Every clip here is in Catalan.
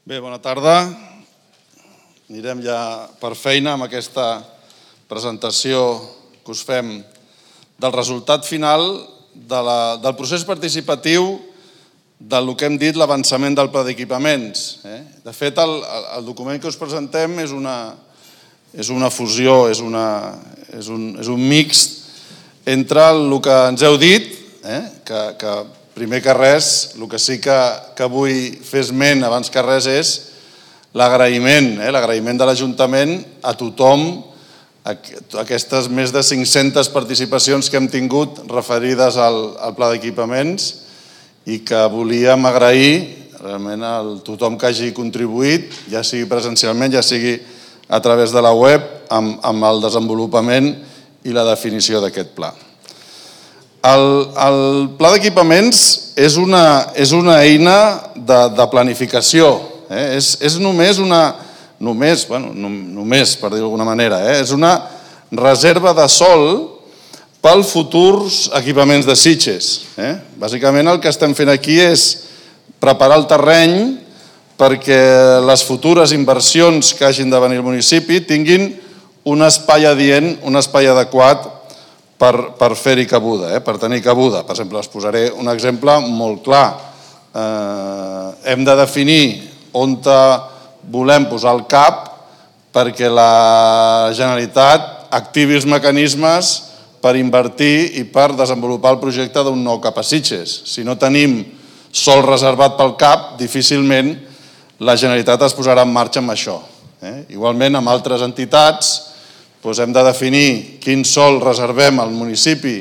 Bé, bona tarda. Anirem ja per feina amb aquesta presentació que us fem del resultat final del procés participatiu del que hem dit l'avançament del pla d'equipaments. De fet, el document que us presentem és una fusió, és un mix entre el que ens heu dit, que primer que res, el que sí que vull fer esment abans que res és l'agraïment de l'Ajuntament a tothom, aquestes més de 500 participacions que hem tingut referides al pla d'equipaments i que volíem agrair realment a tothom que hagi contribuït, ja sigui presencialment, ja sigui a través de la web, amb el desenvolupament i la definició d'aquest pla. El pla d'equipaments és una eina de planificació. És només, per dir-ho d'alguna manera, és una reserva de sòl pels futurs equipaments de Sitges. Bàsicament el que estem fent aquí és preparar el terreny perquè les futures inversions que hagin de venir al municipi tinguin un espai adient, un espai adequat per fer-hi cabuda, per tenir cabuda. Per exemple, us posaré un exemple molt clar. Hem de definir on volem posar el CAP perquè la Generalitat activi els mecanismes per invertir i per desenvolupar el projecte d'un nou CAP a Sitges. Si no tenim sòl reservat pel CAP, difícilment la Generalitat es posarà en marxa amb això. Igualment, amb altres entitats, hem de definir quin sòl reservem al municipi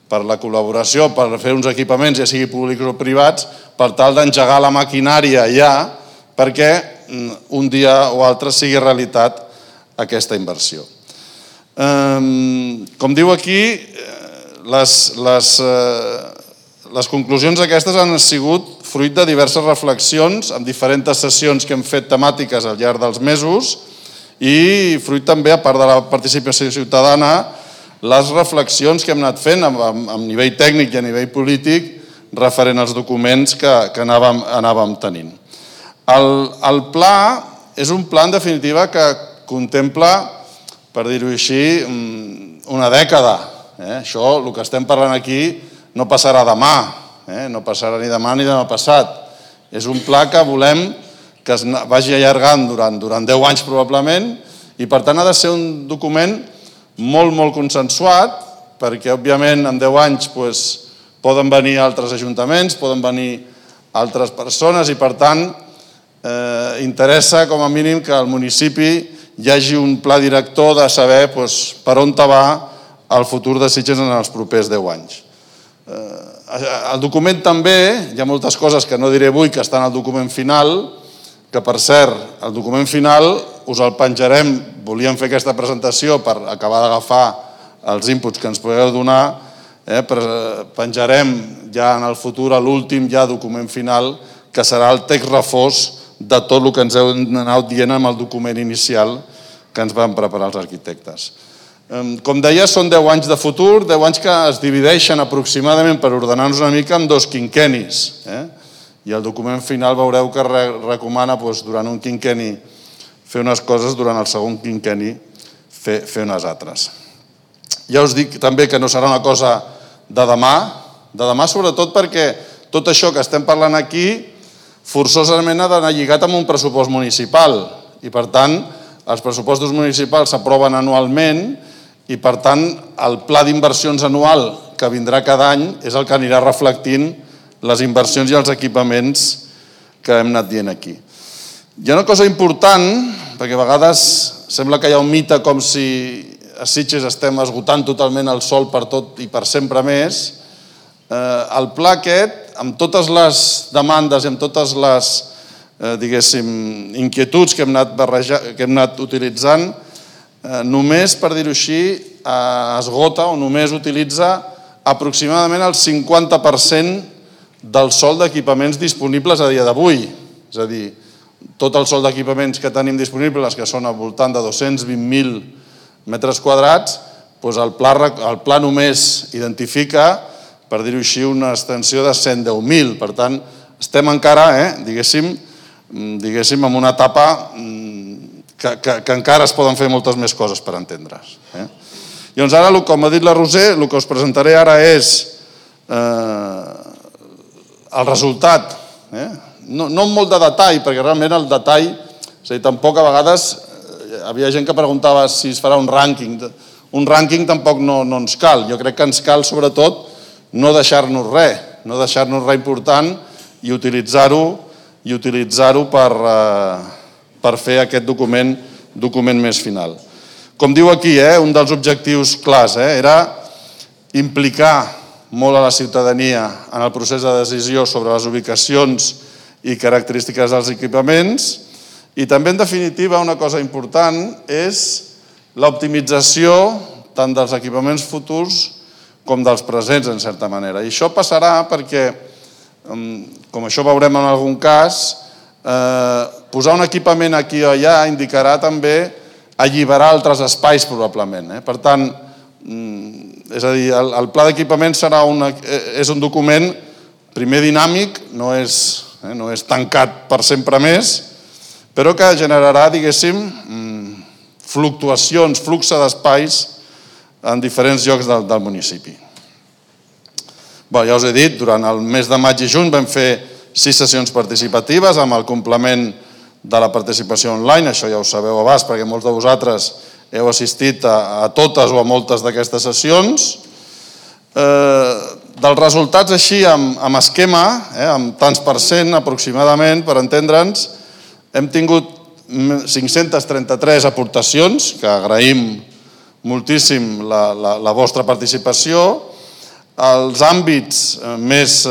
per la col·laboració, per fer uns equipaments, ja sigui públics o privats, per tal d'engegar la maquinària ja perquè un dia o altre sigui realitat aquesta inversió. Com diu aquí, les conclusions aquestes han sigut fruit de diverses reflexions amb diferents sessions que hem fet temàtiques al llarg dels mesos i fruit també, a part de la participació ciutadana, les reflexions que hem anat fent a nivell tècnic i a nivell polític referent als documents que anàvem tenint. El pla és un pla, en definitiva, que contempla, per dir-ho així, una dècada. Això, el que estem parlant aquí, no passarà demà, no passarà ni demà ni demà passat. És un pla que volem que es vagi allargant durant 10 anys probablement i per tant ha de ser un document molt consensuat perquè òbviament en 10 anys poden venir altres ajuntaments, poden venir altres persones i per tant interessa com a mínim que al municipi hi hagi un pla director de saber per on va el futur de Sitges en els propers 10 anys. El document també, hi ha moltes coses que no diré avui que estan al document final, que per cert, el document final us el penjarem, volíem fer aquesta presentació per acabar d'agafar els inputs que ens podeu donar, penjarem ja en el futur l'últim document final que serà el text refós de tot el que ens heu anat dient amb el document inicial que ens van preparar els arquitectes. Com deia, són 10 anys de futur, 10 anys que es divideixen aproximadament, per ordenar-nos una mica, en 2 quinquennis. I el document final veureu que recomana durant un quinquenni fer unes coses, durant el segon quinquenni fer unes altres. Ja us dic també que no serà una cosa de demà sobretot perquè tot això que estem parlant aquí forçosament ha d'anar lligat amb un pressupost municipal i per tant els pressupostos municipals s'aproven anualment i per tant el pla d'inversions anual que vindrà cada any és el que anirà reflectint les inversions i els equipaments que hem anat dient aquí. Hi ha una cosa important, perquè a vegades sembla que hi ha un mite com si a Sitges estem esgotant totalment el sòl per tot i per sempre més. El pla aquest, amb totes les demandes i amb totes les, inquietuds que hem anat utilitzant, només, per dir-ho així, esgota o només utilitza aproximadament el 50% del sòl d'equipaments disponibles a dia d'avui. És a dir, tot el sòl d'equipaments que tenim disponibles, que són al voltant de 220.000 metres quadrats, el pla només identifica, per dir-ho així, una extensió de 110.000. Per tant, estem encara, diguéssim, diguéssim, en una etapa que encara es poden fer moltes més coses per entendre's. Llavors ara, com ha dit la Roser, el que us presentaré ara és el resultat, no amb molt de detall, perquè realment el detall, és a dir, tampoc a vegades havia gent que preguntava si es farà un rànquing. Un rànquing tampoc no ens cal. Jo crec que ens cal, sobretot, no deixar-nos res important i utilitzar-ho per fer aquest document més final. Com diu aquí, un dels objectius clars era implicar molt a la ciutadania en el procés de decisió sobre les ubicacions i característiques dels equipaments i també, en definitiva, una cosa important és l'optimització tant dels equipaments futurs com dels presents, en certa manera. I això passarà perquè, com això veurem en algun cas, posar un equipament aquí o allà indicarà també alliberar altres espais, probablement. Per tant, és a dir, el pla d'equipament és un document primer dinàmic, no és tancat per sempre més, però que generarà, diguéssim, fluctuacions, flux d'espais en diferents llocs del municipi. Ja us he dit, durant el mes de maig i juny vam fer 6 sessions participatives amb el complement de la participació online, això ja ho sabeu abans perquè molts de vosaltres heu assistit a totes o a moltes d'aquestes sessions. Dels resultats així, amb esquema, amb tants per cent aproximadament, per entendre'ns, hem tingut 533 aportacions, que agraïm moltíssim la vostra participació. Els àmbits més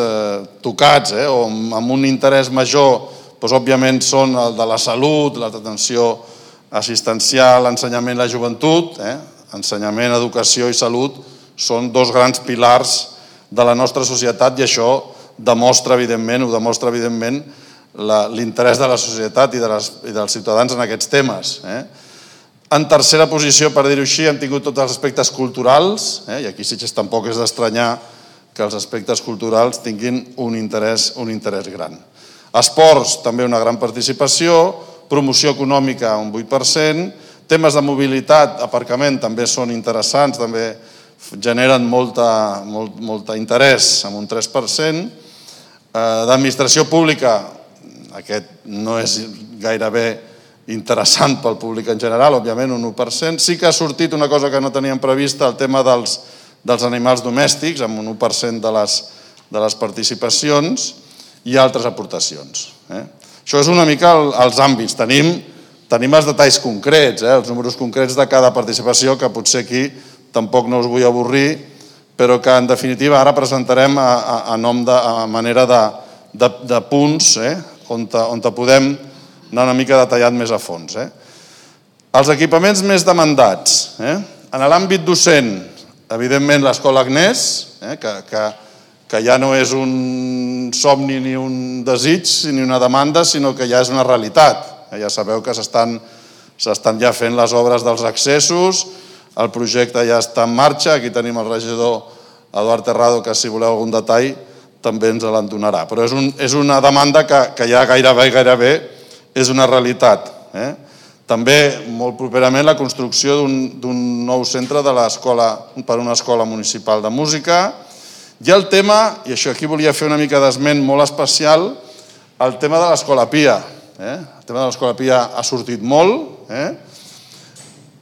tocats o amb un interès major, òbviament, són el de la salut, l'atenció assistencial, l'ensenyament i la joventut. Ensenyament, educació i salut són 2 grans pilars de la nostra societat i això demostra, evidentment, l'interès de la societat i dels ciutadans en aquests temes. En tercera posició, per dir-ho així, hem tingut tots els aspectes culturals, i aquí sí que tampoc és d'estranyar que els aspectes culturals tinguin un interès gran. Esports, també una gran participació, promoció econòmica, un 8%, temes de mobilitat, aparcament, també són interessants, també generen molt interès, amb un 3%. D'administració pública, aquest no és gairebé interessant pel públic en general, òbviament, un 1%. Sí que ha sortit una cosa que no teníem prevista, el tema dels animals domèstics, amb un 1% de les participacions i altres aportacions. Això és una mica els àmbits. Tenim els detalls concrets, els números concrets de cada participació, que potser aquí tampoc no us vull avorrir, però que, en definitiva, ara presentarem a manera de punts on podem anar una mica detallat més a fons. Els equipaments més demandats. En l'àmbit docent, evidentment, l'Escola Agnès, que ja no és un somni ni un desig ni una demanda, sinó que ja és una realitat. Ja sabeu que s'estan ja fent les obres dels accessos, el projecte ja està en marxa, aquí tenim el regidor Eduard Terrado, que si voleu algun detall també ens l'en donarà. Però és una demanda que ja gairebé és una realitat. També, molt properament, la construcció d'un nou centre per a una escola municipal de música. I el tema, i això aquí volia fer una mica d'esment molt especial, el tema de l'Escola Pia. El tema de l'Escola Pia ha sortit molt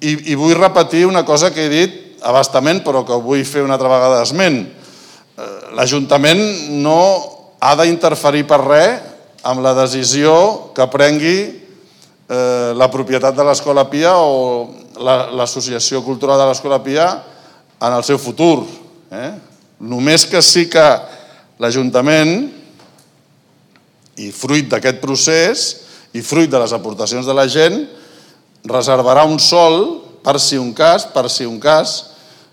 i vull repetir una cosa que he dit a bastament, però que vull fer una altra vegada d'esment. L'Ajuntament no ha d'interferir per res amb la decisió que prengui la propietat de l'Escola Pia o l'Associació Cultural de l'Escola Pia en el seu futur. Només que sí que l'Ajuntament, i fruit d'aquest procés, i fruit de les aportacions de la gent, reservarà un sòl per si un cas,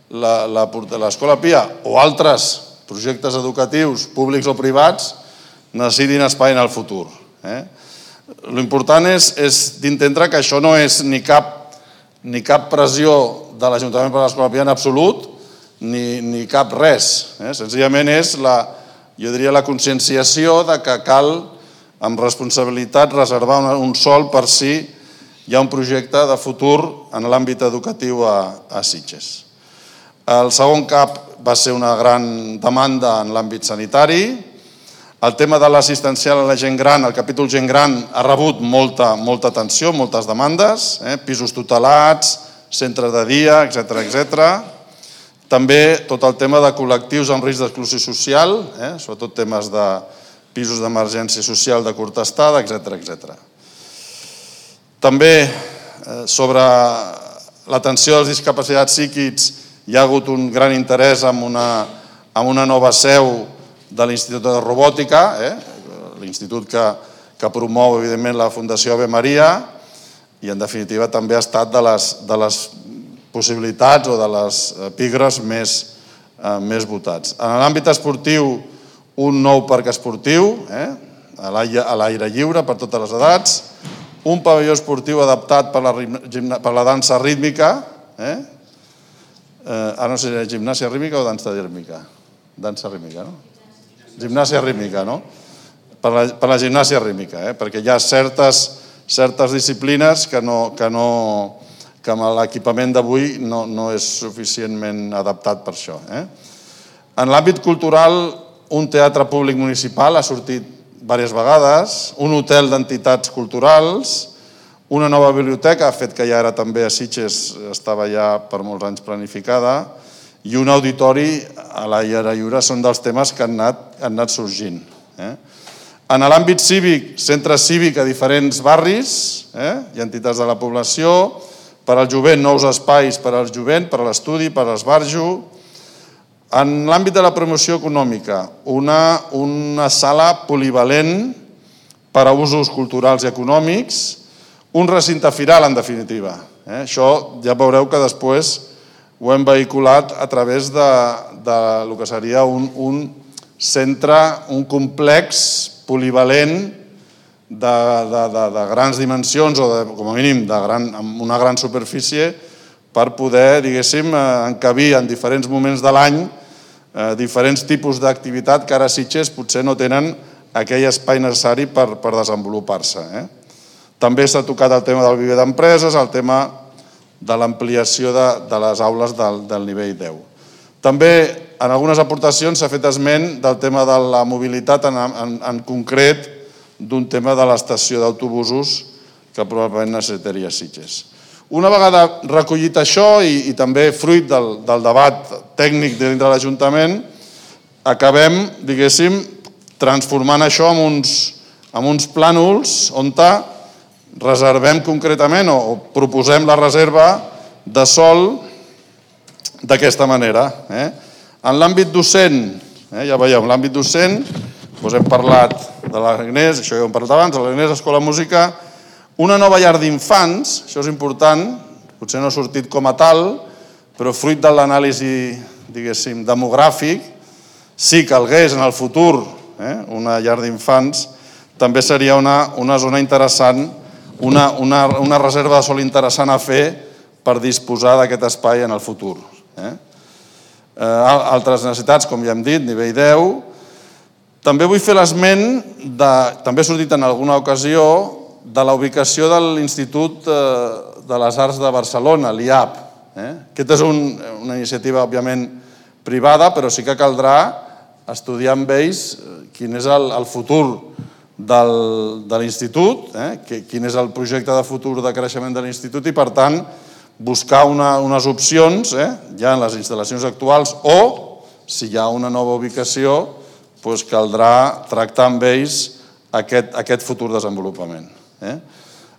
l'Escola Pia o altres projectes educatius públics o privats necessitin espai en el futur. L'important és d'entendre que això no és ni cap pressió de l'Ajuntament per a l'Escola Pia en absolut, ni cap res. Senzillament és, jo diria, la conscienciació de que cal amb responsabilitat, reservar un sòl per si hi ha un projecte de futur en l'àmbit educatiu a Sitges. El segon CAP va ser una gran demanda en l'àmbit sanitari. El tema de l'assistencial a la gent gran, el capítol gent gran, ha rebut molta atenció, moltes demandes, pisos tutelats, centres de dia, etc. També tot el tema de col·lectius amb risc d'exclusió social, sobretot temes de pisos d'emergència social de curta estada, etc. També sobre l'atenció als discapacitats psíquics hi ha hagut un gran interès en una nova seu de l'Institut de Robòtica, l'institut que promou, evidentment, la Fundació Ave Maria, i, en definitiva, també ha estat de les possibilitats o de les epígrafs més votats. En l'àmbit esportiu, un nou parc esportiu, a l'aire lliure per totes les edats, un pavelló esportiu adaptat per la dansa rítmica, ara no sé si era gimnàsia rítmica o dansa rítmica. Dansa rítmica, no? Gimnàsia rítmica, no? Per la gimnàsia rítmica, perquè hi ha certes disciplines que amb l'equipament d'avui no és suficientment adaptat per això. En l'àmbit cultural, un teatre públic municipal ha sortit diverses vegades, un hotel d'entitats culturals, una nova biblioteca, fet que ja era també a Sitges, estava ja per molts anys planificada, i un auditori a l'aire lliure són dels temes que han anat sorgint. En l'àmbit cívic, centre cívic a diferents barris i entitats de la població, per al jovent, nous espais per al jovent, per a l'estudi, per a l'esbarjo. En l'àmbit de la promoció econòmica, una sala polivalent per a usos culturals i econòmics, un recinte firal, en definitiva. Això ja veureu que després ho hem vehiculat a través del que seria un centre, un complex polivalent de grans dimensions o, com a mínim, amb una gran superfície per poder, diguéssim, encabir en diferents moments de l'any diferents tipus d'activitat que ara a Sitges potser no tenen aquell espai necessari per desenvolupar-se. També s'ha tocat el tema del viver d'empreses, el tema de l'ampliació de les aules del nivell 10. També en algunes aportacions s'ha fet esment del tema de la mobilitat, en concret d'un tema de l'estació d'autobusos que probablement necessitaria Sitges. Una vegada recollit això i també fruit del debat tècnic dintre de l'Ajuntament, acabem, diguéssim, transformant això en uns plànols on reservem concretament o proposem la reserva de sòl d'aquesta manera. En l'àmbit docent, ja veieu, en l'àmbit docent hem parlat de l'Agnès, això ja ho hem parlat abans, de l'Agnès Escola Música, una nova llar d'infants, això és important, potser no ha sortit com a tal, però fruit de l'anàlisi, diguéssim, demogràfic, si calgués en el futur una llar d'infants, també seria una zona interessant, una reserva de sòl interessant a fer per disposar d'aquest espai en el futur. Altres necessitats, com ja hem dit, nivell 10. També vull fer l'esment, també ha sortit en alguna ocasió, de la ubicació de l'Institut de les Arts de Barcelona, l'IAP. Aquesta és una iniciativa, òbviament, privada, però sí que caldrà estudiar amb ells quin és el futur de l'Institut, quin és el projecte de futur de creixement de l'Institut i, per tant, buscar unes opcions ja en les instal·lacions actuals o, si hi ha una nova ubicació, caldrà tractar amb ells aquest futur desenvolupament.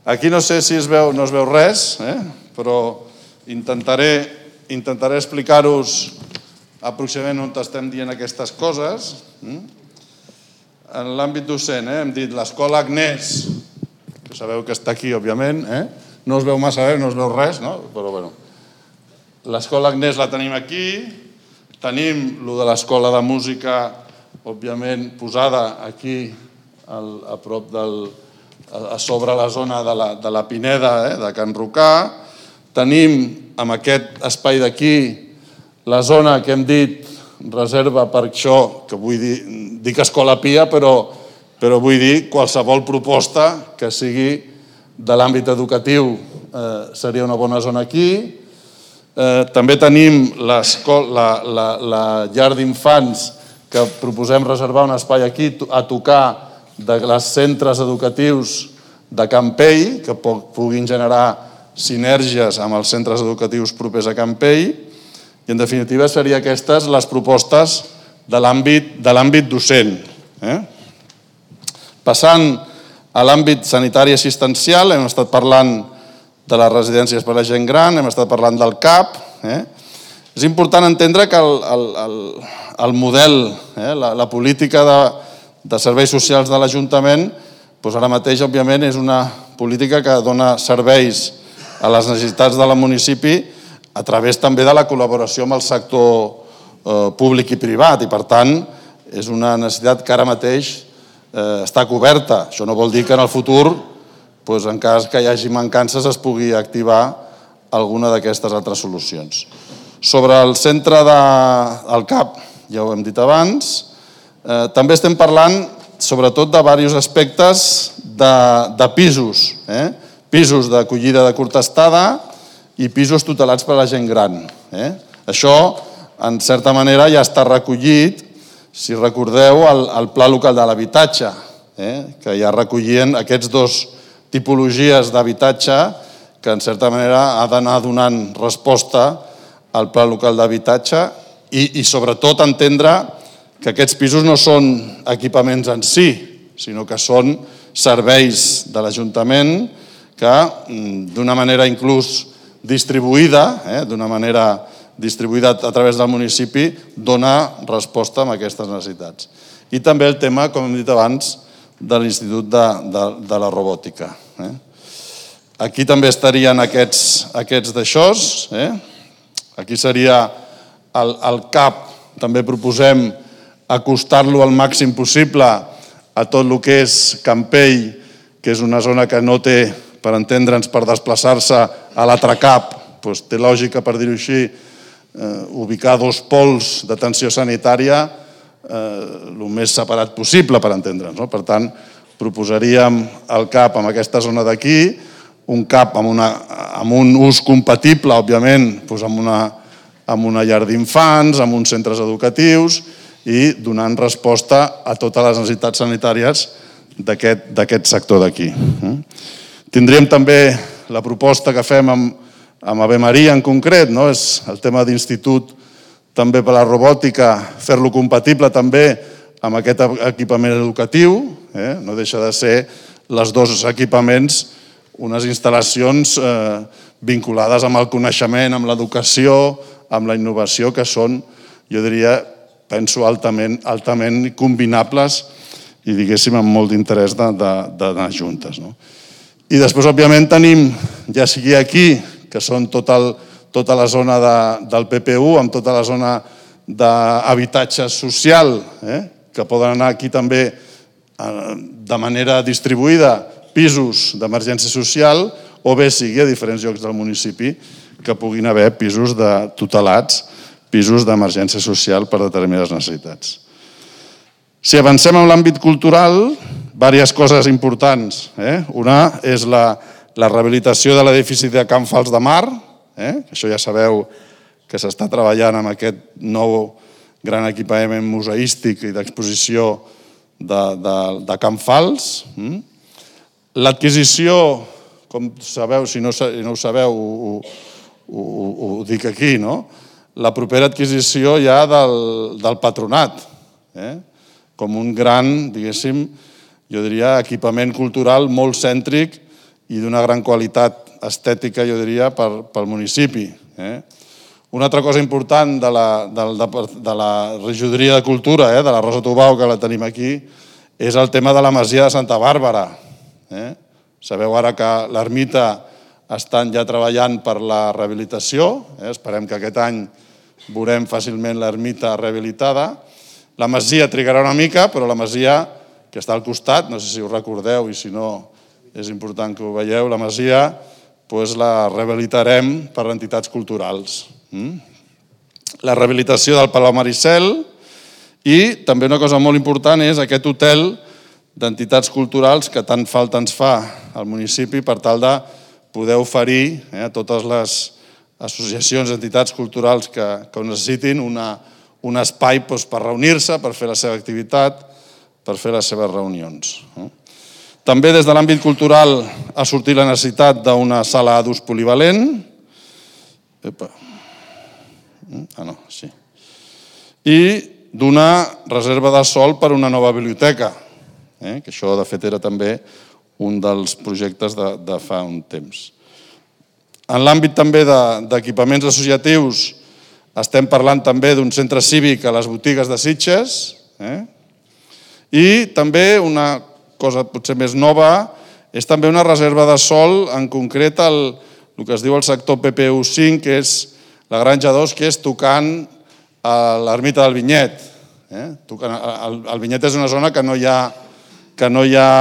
Aquí no sé si no es veu res, però intentaré explicar-vos aproximadament on estem dient aquestes coses. En l'àmbit docent hem dit l'Escola Agnès, que sabeu que està aquí, òbviament, no es veu massa bé, no es veu res, però bé. L'escola Agnès la tenim aquí, tenim lo de l'Escola de Música, òbviament, posada aquí a prop a sobre la zona de la Pineda, de Can Rocà. Tenim, amb aquest espai d'aquí, la zona que hem dit reserva per això, que vull dir Escola Pia, però però vull dir qualsevol proposta que sigui de l'àmbit educatiu seria una bona zona aquí. També tenim la llar d'infants, que proposem reservar un espai aquí a tocar dels centres educatius de Campell, que puguin generar sinergies amb els centres educatius propers a Campell. I, en definitiva, serien aquestes les propostes de l'àmbit docent. Passant a l'àmbit sanitari assistencial, hem estat parlant de les residències per a gent gran, hem estat parlant del CAP. És important entendre que el model, la política de serveis socials de l'Ajuntament, ara mateix, òbviament, és una política que dona serveis a les necessitats del municipi a través també de la col·laboració amb el sector públic i privat, i per tant és una necessitat que ara mateix està coberta. Això no vol dir que en el futur, en cas que hi hagi mancances, es pugui activar alguna d'aquestes altres solucions. Sobre el centre del CAP, ja ho hem dit abans, també estem parlant sobretot de diversos aspectes de pisos, pisos d'acollida de curta estada i pisos tutelats per a la gent gran. Això, en certa manera, ja està recollit, si recordeu, al Pla Local de l'Habitatge, que ja recollien aquests dos tipologies d'habitatge que, en certa manera, ha d'anar donant resposta al Pla Local d'Habitatge i, sobretot, entendre que aquests pisos no són equipaments en si, sinó que són serveis de l'Ajuntament que, d'una manera inclús distribuïda, a través del municipi, dona resposta a aquestes necessitats. I també el tema, com hem dit abans, de l'Institut de la Robòtica. Aquí també estarien aquests d'aixòs. Aquí seria el CAP, també proposem acostar-lo al màxim possible a tot el que és Campell, que és una zona que no té, per entendre'ns, per desplaçar-se a l'altre CAP, té lògica, per dir-ho així, ubicar dos pols d'atenció sanitària el més separat possible, per entendre'ns. Per tant, proposaríem el CAP en aquesta zona d'aquí, un CAP amb un ús compatible, òbviament, amb una llar d'infants, amb uns centres educatius i donant resposta a totes les necessitats sanitàries d'aquest sector d'aquí. Tindríem també la proposta que fem amb Ave Maria en concret, és el tema d'institut també per la robòtica, fer-lo compatible també amb aquest equipament educatiu. No deixa de ser els dos equipaments unes instal·lacions vinculades amb el coneixement, amb l'educació, amb la innovació, que són, jo diria, penso, altament combinables i, diguéssim, amb molt d'interès d'anar juntes. I després, òbviament, tenim, ja sigui aquí, que són tota la zona del PPU, amb tota la zona d'habitatge social, que poden anar aquí també de manera distribuïda, pisos d'emergència social, o bé sigui a diferents llocs del municipi que puguin haver pisos tutelats, pisos d'emergència social per determinades necessitats. Si avancem en l'àmbit cultural, diverses coses importants. Una és la rehabilitació de l'edifici de Can Fals de Mar, això ja sabeu que s'està treballant amb aquest nou gran equipament museístic i d'exposició de Can Fals. L'adquisició, com sabeu, si no ho sabeu, ho dic aquí, la propera adquisició ja del patronat, com un gran, diguéssim, jo diria, equipament cultural molt cèntric i d'una gran qualitat estètica, jo diria, pel municipi. Una altra cosa important de la regidoria de cultura, de la Rosa Tubau, que la tenim aquí, és el tema de la masia de Santa Bàrbara. Sabeu ara que l'ermita estan ja treballant per la rehabilitació, esperem que aquest any veurem fàcilment l'ermita rehabilitada. La masia trigarà una mica, però la masia que està al costat, no sé si ho recordeu i si no és important que ho veieu, la masia la rehabilitarem per entitats culturals. La rehabilitació del Palau Maricel i també una cosa molt important és aquest hotel d'entitats culturals que tant falta ens fa al municipi per tal de poder oferir a totes les associacions, entitats culturals que ho necessitin un espai per reunir-se, per fer la seva activitat, per fer les seves reunions. També des de l'àmbit cultural ha sortit la necessitat d'una sala d'ús polivalent. I d'una reserva de sòl per a una nova biblioteca, que això de fet era també un dels projectes de fa un temps. En l'àmbit també d'equipaments associatius estem parlant també d'un centre cívic a les botigues de Sitges i també una cosa potser més nova és també una reserva de sòl, en concret el que es diu el sector PPU5, que és la Granja 2, que és tocant a l'ermita del Vinyet. El Vinyet és una zona que no hi ha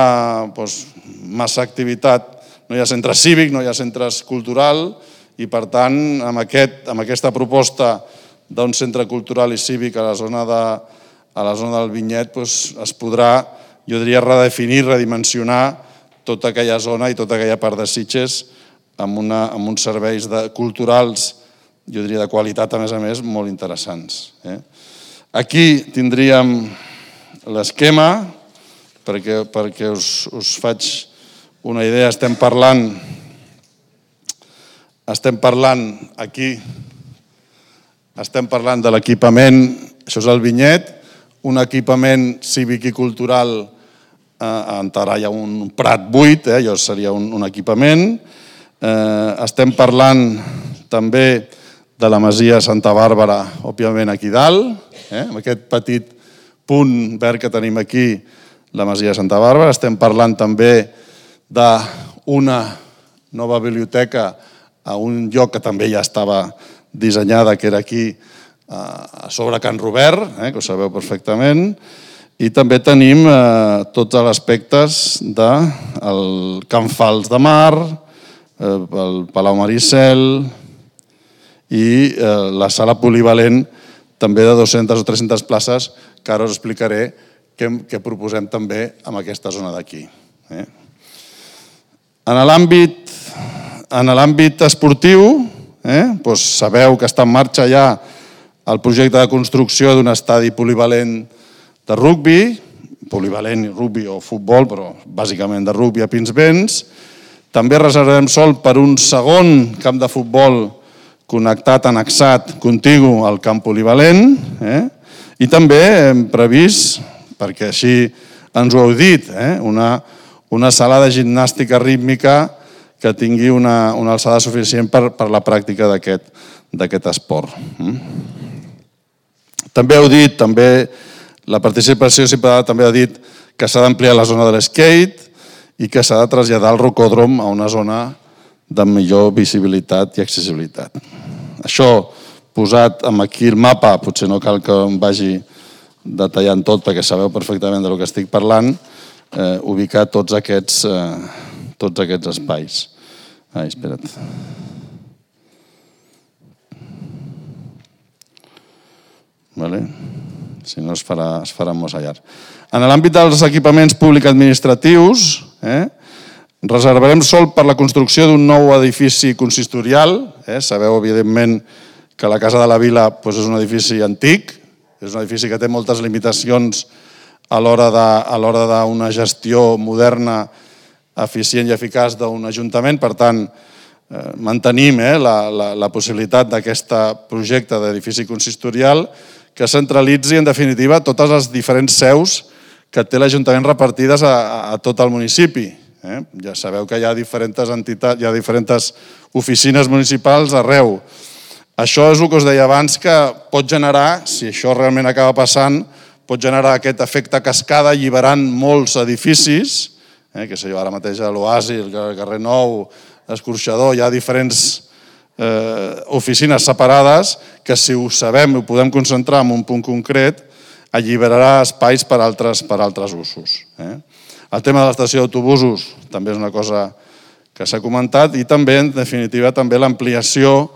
massa activitat, no hi ha centre cívic, no hi ha centres cultural i per tant amb aquesta proposta d'un centre cultural i cívic a la zona del Vinyet es podrà, jo diria, redefinir, redimensionar tota aquella zona i tota aquella part de Sitges amb uns serveis culturals, jo diria de qualitat a més, molt interessants. Aquí tindríem l'esquema, perquè us faig una idea. Estem parlant de l'equipament, això és el Vinyet, un equipament cívic i cultural en terra hi ha un prat buit, allò seria un equipament. Estem parlant també de la masia Santa Bàrbara, òbviament aquí dalt, amb aquest petit punt verd que tenim aquí, la masia Santa Bàrbara. Estem parlant també d'una nova biblioteca a un lloc que també ja estava dissenyada, que era aquí a sobre Can Robert, que ho sabeu perfectament, i també tenim tots els aspectes del Camp Fals de Mar, el Palau Maricel i la sala polivalent també de 200 o 300 places, que ara us explicaré què proposem també en aquesta zona d'aquí. En l'àmbit esportiu, sabeu que està en marxa ja el projecte de construcció d'un estadi polivalent de rugbi, polivalent rugbi o futbol, però bàsicament de rugbi a Pinsbens. També reservarem sòl per un segon camp de futbol connectat, annexat, contigu al camp polivalent. I també hem previst, perquè així ens ho heu dit, una sala de gimnàstica rítmica que tingui una alçada suficient per la pràctica d'aquest esport. També heu dit, la participació ciutadana també ha dit que s'ha d'ampliar la zona de l'skate i que s'ha de traslladar el rocòdrom a una zona de millor visibilitat i accessibilitat. Això, posat aquí el mapa, potser no cal que em vagi detallant tot perquè sabeu perfectament del que estic parlant, ubicar tots aquests espais. Espera't. Si no es farà molt llarg. En l'àmbit dels equipaments públics administratius, reservarem sòl per la construcció d'un nou edifici consistorial. Sabeu, evidentment, que la Casa de la Vila és un edifici antic, és un edifici que té moltes limitacions a l'hora d'una gestió moderna, eficient i eficaç d'un ajuntament. Per tant, mantenim la possibilitat d'aquest projecte d'edifici consistorial que centralitzi, en definitiva, totes les diferents seus que té l'Ajuntament repartides a tot el municipi. Ja sabeu que hi ha diferents entitats, hi ha diferents oficines municipals arreu. Això és el que us deia abans, que pot generar, si això realment acaba passant, pot generar aquest efecte cascada alliberant molts edificis, que sé jo, ara mateix a l'Oasi, el carrer Nou, l'Escorxador, hi ha diferents oficines separades que, si ho sabem i ho podem concentrar en un punt concret, alliberarà espais per altres usos. El tema de l'estació d'autobusos també és una cosa que s'ha comentat i també, en definitiva, també l'ampliació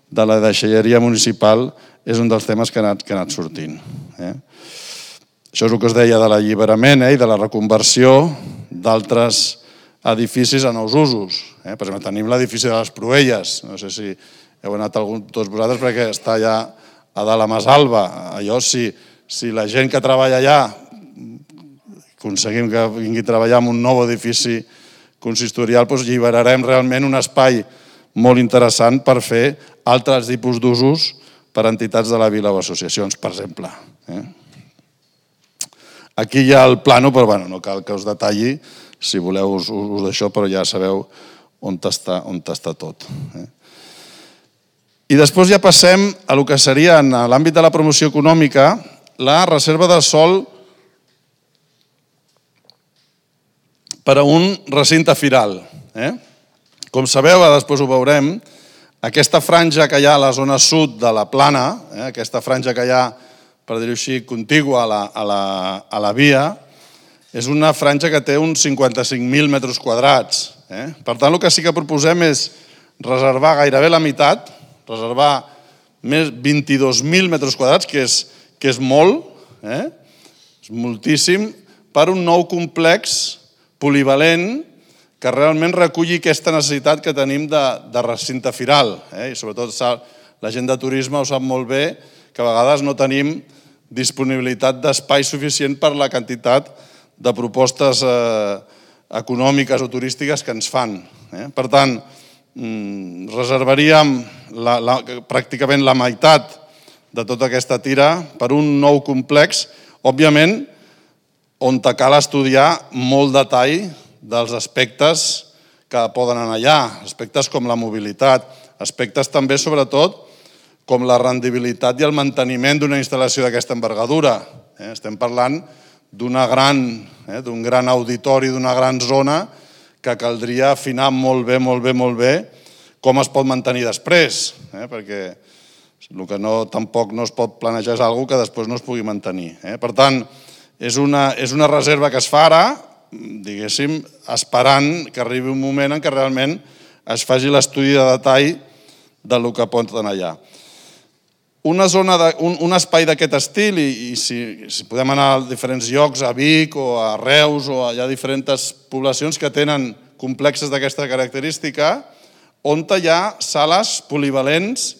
de la deixalleria municipal és un dels temes que ha anat sortint. Això és el que es deia de l'alliberament i de la reconversió d'altres edificis a nous usos. Per exemple, tenim l'edifici de les Proelles. No sé si heu anat tots vosaltres perquè està allà a dalt a Masalva. Allò, si la gent que treballa allà aconseguim que vingui a treballar en un nou edifici consistorial, doncs alliberarem realment un espai molt interessant per fer altres tipus d'usos per a entitats de la vila o associacions, per exemple. Aquí hi ha el plano, però no cal que us detalli, si voleu us d'això, però ja sabeu on està tot. I després ja passem a el que seria, en l'àmbit de la promoció econòmica, la reserva de sòl per a un recinte firal. Com sabeu, després ho veurem, aquesta franja que hi ha a la zona sud de la Plana, aquesta franja que hi ha, per dir-ho així, contigua a la via, és una franja que té uns 55.000 metres quadrats. Per tant, el que sí que proposem és reservar gairebé la meitat, reservar més 22.000 metres quadrats, que és molt, és moltíssim, per un nou complex polivalent que realment reculli aquesta necessitat que tenim de recinte firal. I sobretot la gent de turisme ho sap molt bé, que a vegades no tenim disponibilitat d'espai suficient per la quantitat de propostes econòmiques o turístiques que ens fan. Per tant, reservaríem pràcticament la meitat de tota aquesta tira per un nou complex, òbviament, on cal estudiar molt detall dels aspectes que poden anar allà, aspectes com la mobilitat, aspectes també, sobretot, com la rendibilitat i el manteniment d'una instal·lació d'aquesta envergadura. Estem parlant d'un gran auditori, d'una gran zona que caldria afinar molt bé com es pot mantenir després, perquè el que tampoc no es pot planejar és alguna cosa que després no es pugui mantenir. Per tant, és una reserva que es fa ara, diguéssim, esperant que arribi un moment en què realment es faci l'estudi de detall del que pot anar allà. Un espai d'aquest estil, i si podem anar a diferents llocs, a Vic o a Reus, o hi ha diferents poblacions que tenen complexes d'aquesta característica, on hi ha sales polivalents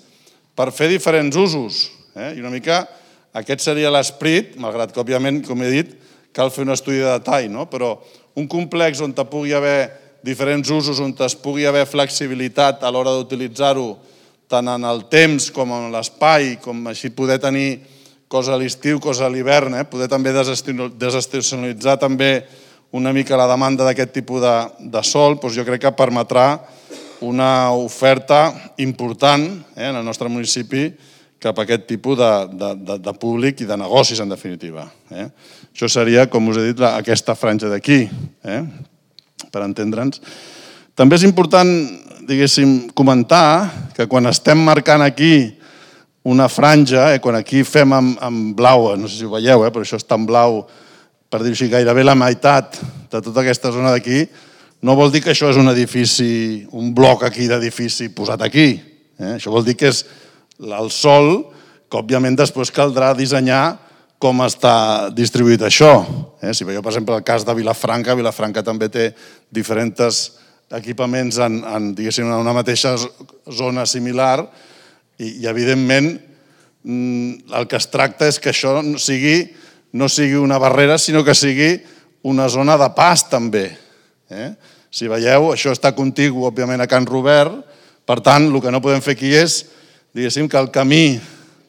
per fer diferents usos. I una mica aquest seria l'esperit, malgrat que, òbviament, com he dit, cal fer un estudi de detall, però un complex on hi pugui haver diferents usos, on es pugui haver flexibilitat a l'hora d'utilitzar-ho, tant en el temps com en l'espai, com així poder tenir cosa a l'estiu, cosa a l'hivern, poder també desestacionalitzar també una mica la demanda d'aquest tipus de sòl, jo crec que permetrà una oferta important en el nostre municipi cap a aquest tipus de públic i de negocis, en definitiva. Això seria, com us he dit, aquesta franja d'aquí, per entendre'ns. També és important, diguéssim, comentar que quan estem marcant aquí una franja, quan aquí fem en blau, no sé si ho veieu, però això està en blau, per dir-ho així, gairebé la meitat de tota aquesta zona d'aquí, no vol dir que això és un edifici, un bloc aquí d'edifici posat aquí. Això vol dir que és el sòl, que òbviament després caldrà dissenyar com està distribuït això. Si veieu, per exemple, el cas de Vilafranca, Vilafranca també té diferents equipaments en una mateixa zona similar i evidentment, el que es tracta és que això no sigui una barrera, sinó que sigui una zona de pas també. Si veieu, això està contigu, òbviament, a Can Robert, per tant, el que no podem fer aquí és, diguéssim, que el camí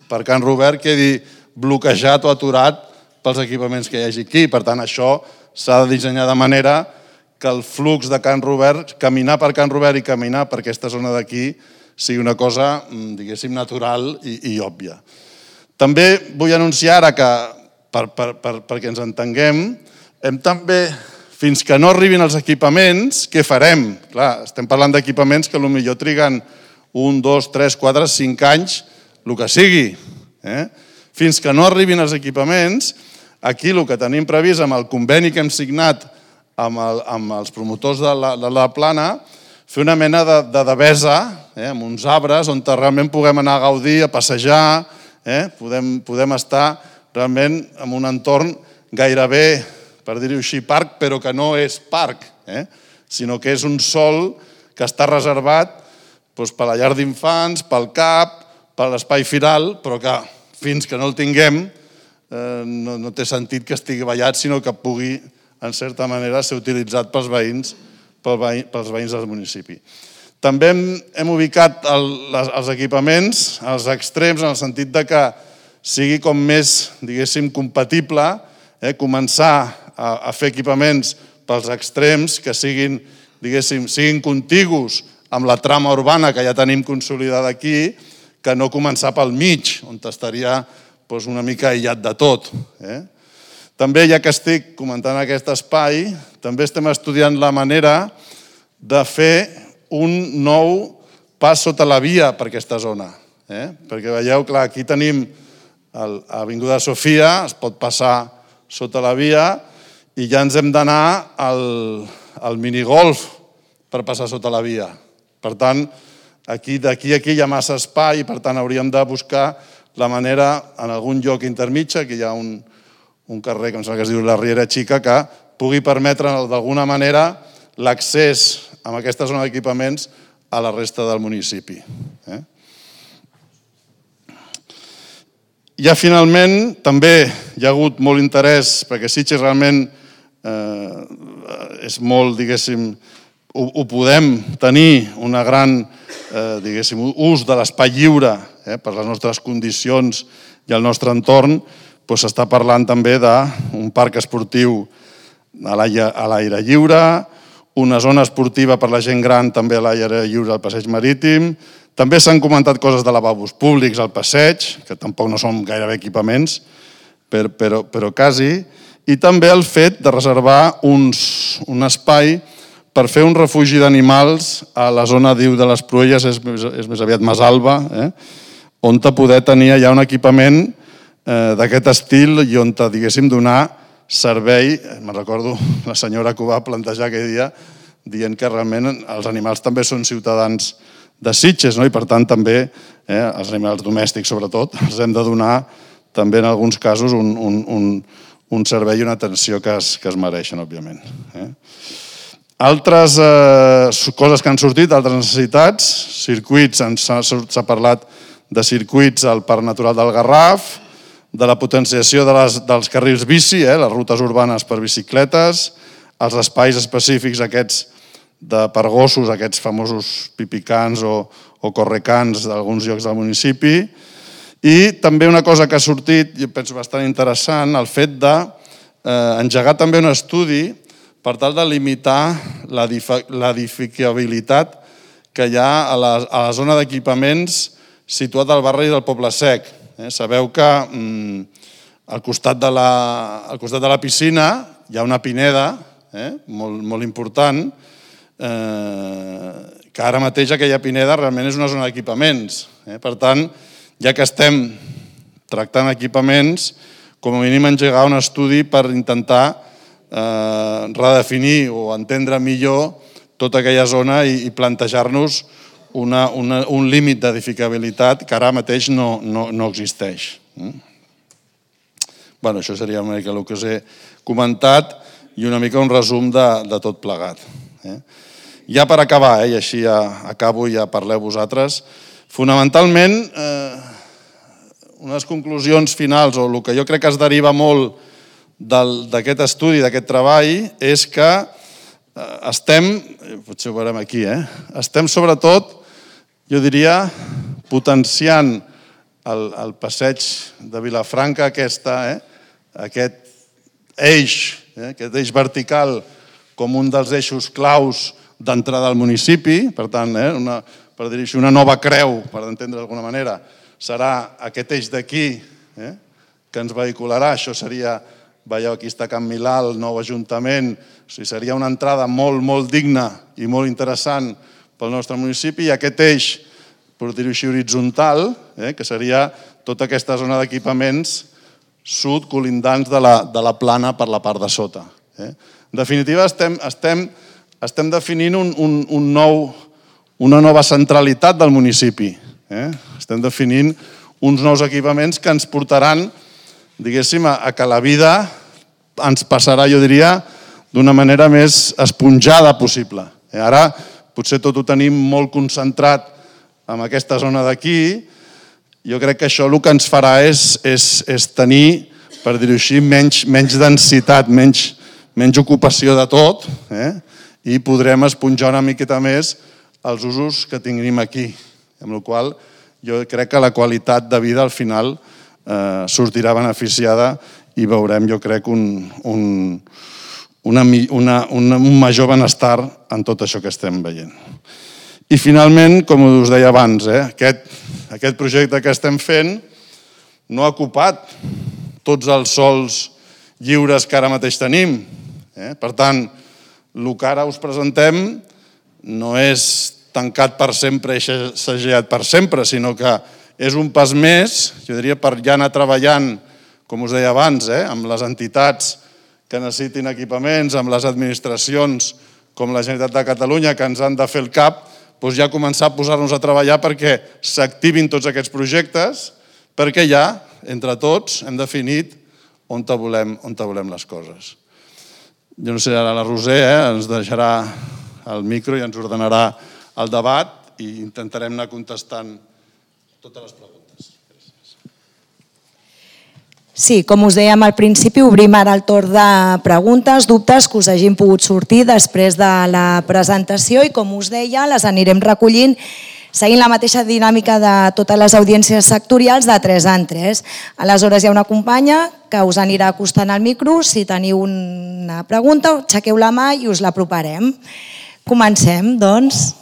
per Can Robert quedi bloquejat o aturat pels equipaments que hi hagi aquí. Per tant, això s'ha de dissenyar de manera que el flux de Can Robert, caminar per Can Robert i caminar per aquesta zona d'aquí, sigui una cosa, diguéssim, natural i òbvia. També vull anunciar ara que, perquè ens entenguem, hem també, fins que no arribin els equipaments, què farem? Clar, estem parlant d'equipaments que potser triguen 1, 2, 3, 4, 5 anys, el que sigui. Fins que no arribin els equipaments, aquí el que tenim previst amb el conveni que hem signat amb els promotors de la Plana, fer una mena de devesa, amb uns arbres on realment puguem anar a gaudir, a passejar, podem estar realment en un entorn gairebé, per dir-ho així, parc, però que no és parc, sinó que és un sòl que està reservat per la llar d'infants, pel CAP, per l'espai firal, però que fins que no el tinguem no té sentit que estigui vallat, sinó que pugui, en certa manera, ser utilitzat pels veïns del municipi. També hem ubicat els equipaments als extrems, en el sentit que sigui com més, diguéssim, compatible, començar a fer equipaments pels extrems que siguin, diguéssim, siguin contigus amb la trama urbana que ja tenim consolidada aquí, que no començar pel mig, on estaria una mica aïllat de tot. També, ja que estic comentant aquest espai, també estem estudiant la manera de fer un nou pas sota la via per aquesta zona. Perquè veieu, clar, aquí tenim l'Avinguda Sofia, es pot passar sota la via i ja ens hem d'anar al minigolf per passar sota la via. Per tant, d'aquí a aquí hi ha massa espai i per tant hauríem de buscar la manera en algun lloc intermig, que hi ha un carrer que em sembla que es diu la Riera Xica, que pugui permetre d'alguna manera l'accés a aquesta zona d'equipaments a la resta del municipi. Ja finalment també hi ha hagut molt interès, perquè Sitges realment és molt, diguéssim, ho podem tenir una gran, diguéssim, ús de l'espai lliure per les nostres condicions i el nostre entorn, s'està parlant també d'un parc esportiu a l'aire lliure, una zona esportiva per la gent gran també a l'aire lliure al passeig marítim. També s'han comentat coses de lavabos públics al passeig, que tampoc no són gairebé equipaments, però quasi. I també el fet de reservar un espai per fer un refugi d'animals a la zona, diu, de les Pruelles, és més aviat Masalba, on poder tenir allà un equipament d'aquest estil i on, diguéssim, donar servei. Me'n recordo la senyora que ho va plantejar aquell dia, dient que realment els animals també són ciutadans de Sitges, i per tant també, els animals domèstics sobretot, els hem de donar també en alguns casos un servei i una atenció que es mereixen, òbviament. Altres coses que han sortit, altres necessitats, circuits, s'ha parlat de circuits al Parc Natural del Garraf, de la potenciació dels carrils bici, les rutes urbanes per bicicletes, els espais específics aquests per gossos, aquests famosos pipicans o correcans d'alguns llocs del municipi, i també una cosa que ha sortit, jo penso bastant interessant, el fet d'engegar també un estudi per tal de limitar l'edificabilitat que hi ha a la zona d'equipaments situat al barri del Poble Sec. Sabeu que al costat de la piscina hi ha una pineda molt important, que ara mateix aquella pineda realment és una zona d'equipaments. Per tant, ja que estem tractant equipaments, com a mínim engegar un estudi per intentar redefinir o entendre millor tota aquella zona i plantejar-nos un límit d'edificabilitat que ara mateix no existeix. Això seria una mica el que us he comentat i una mica un resum de tot plegat. Ja per acabar, i així ja acabo i ja parleu vosaltres, fonamentalment, unes conclusions finals, o el que jo crec que es deriva molt d'aquest estudi, d'aquest treball, és que estem, potser ho veurem aquí, estem sobretot, jo diria, potenciant el passeig de Vilafranca, aquest eix vertical com un dels eixos claus d'entrada al municipi, per tant, per dir-ho així, una nova creu, per entendre d'alguna manera, serà aquest eix d'aquí que ens vehicularà, això seria, veieu, aquí està Can Milà, el nou ajuntament, seria una entrada molt, molt digna i molt interessant pel nostre municipi, i aquest eix, per dir-ho així, horitzontal, que seria tota aquesta zona d'equipaments sud colindants de la plana per la part de sota. En definitiva, estem definint una nova centralitat del municipi. Estem definint uns nous equipaments que ens portaran, diguéssim, a que la vida ens passarà, jo diria, d'una manera més esponjada possible. Ara potser tot ho tenim molt concentrat en aquesta zona d'aquí. Jo crec que això el que ens farà és tenir, per dir-ho així, menys densitat, menys ocupació de tot, i podrem esponjar una miqueta més els usos que tinguem aquí. Amb la qual cosa jo crec que la qualitat de vida al final sortirà beneficiada i veurem, jo crec, un major benestar en tot això que estem veient. I finalment, com us deia abans, aquest projecte que estem fent no ha ocupat tots els sòls lliures que ara mateix tenim. Per tant, el que ara us presentem no és tancat per sempre i segellat per sempre, sinó que és un pas més, jo diria, per ja anar treballant, com us deia abans, amb les entitats que necessitin equipaments, amb les administracions com la Generalitat de Catalunya, que ens han de fer el cap, doncs ja començar a posar-nos a treballar perquè s'activin tots aquests projectes, perquè ja, entre tots, hem definit on volem les coses. Jo no sé, ara la Roser ens deixarà el micro i ens ordenarà el debat i intentarem anar contestant totes les preguntes. Sí, com us dèiem al principi, obrim ara el torn de preguntes, dubtes que us hagin pogut sortir després de la presentació i, com us deia, les anirem recollint seguint la mateixa dinàmica de totes les audiències sectorials de 3 en 3. Aleshores hi ha una companya que us anirà acostant al micro. Si teniu una pregunta, aixequeu la mà i us l'aproparem. Comencem, doncs.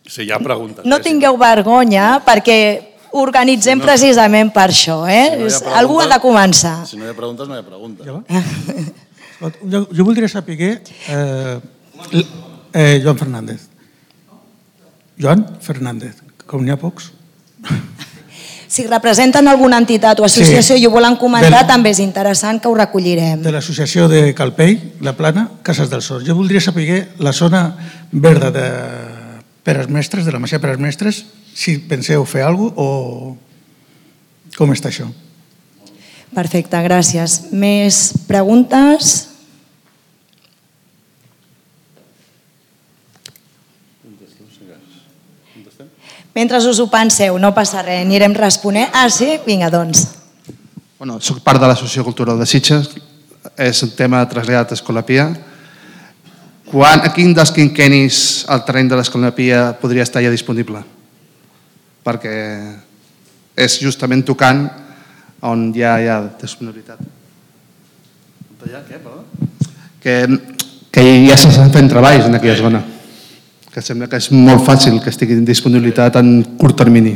Si hi ha preguntes. No tingueu vergonya, perquè organitzem precisament per això. Algú ha de començar. Si no hi ha preguntes, no hi ha preguntes. Jo voldria saber... Joan Fernández. Joan Fernández, com n'hi ha pocs. Si representen alguna entitat o associació i ho volen comentar, també és interessant que ho recollirem. De l'associació de Calpell, La Plana, Cases del Sors. Jo voldria saber la zona verda de Peres Mestres, de la Masia Peres Mestres, si penseu fer alguna cosa o com està això. Perfecte, gràcies. Més preguntes? Mentre us ho penseu, no passa res, anirem responent. Ah, sí? Vinga, doncs. Soc part de l'Associació Cultural de Sitges, és un tema traslladat a Escolapia. A quin dels quinquennis el terreny de l'Escolapia podria estar ja disponible? Perquè és justament tocant on ja hi ha disponibilitat. Que ja s'estan fent treballs en aquella zona. Que sembla que és molt fàcil que estigui en disponibilitat en curt termini.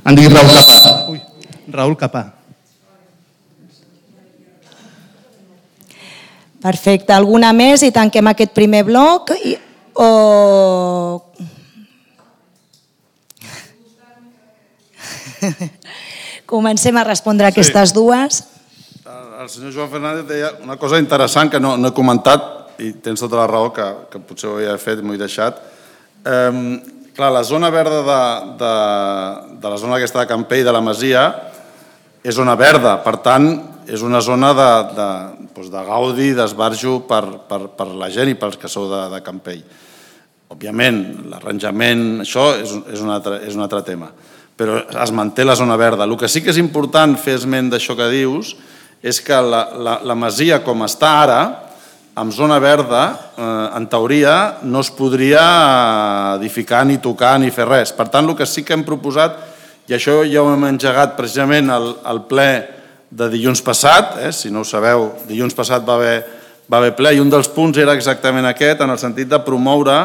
Em dic Raül Capà. Raül Capà. Perfecte. Alguna més i tanquem aquest primer bloc? Comencem a respondre aquestes dues. El senyor Joan Fernández deia una cosa interessant que no he comentat, i tens tota la raó, que potser ho havia fet i m'ho he deixat. Clar, la zona verda de la zona aquesta de Campell, de la Masia, és zona verda. Per tant, és una zona de gaudi, d'esbarjo per la gent i pels que sou de Campell. Òbviament, l'arranjament, això és un altre tema. Però es manté la zona verda. El que sí que és important fer esment d'això que dius és que la Masia, com està ara, amb zona verda, en teoria, no es podria edificar, ni tocar, ni fer res. Per tant, el que sí que hem proposat, i això ja ho hem engegat precisament al ple de dilluns passat, si no ho sabeu, dilluns passat va haver ple, i un dels punts era exactament aquest, en el sentit de promoure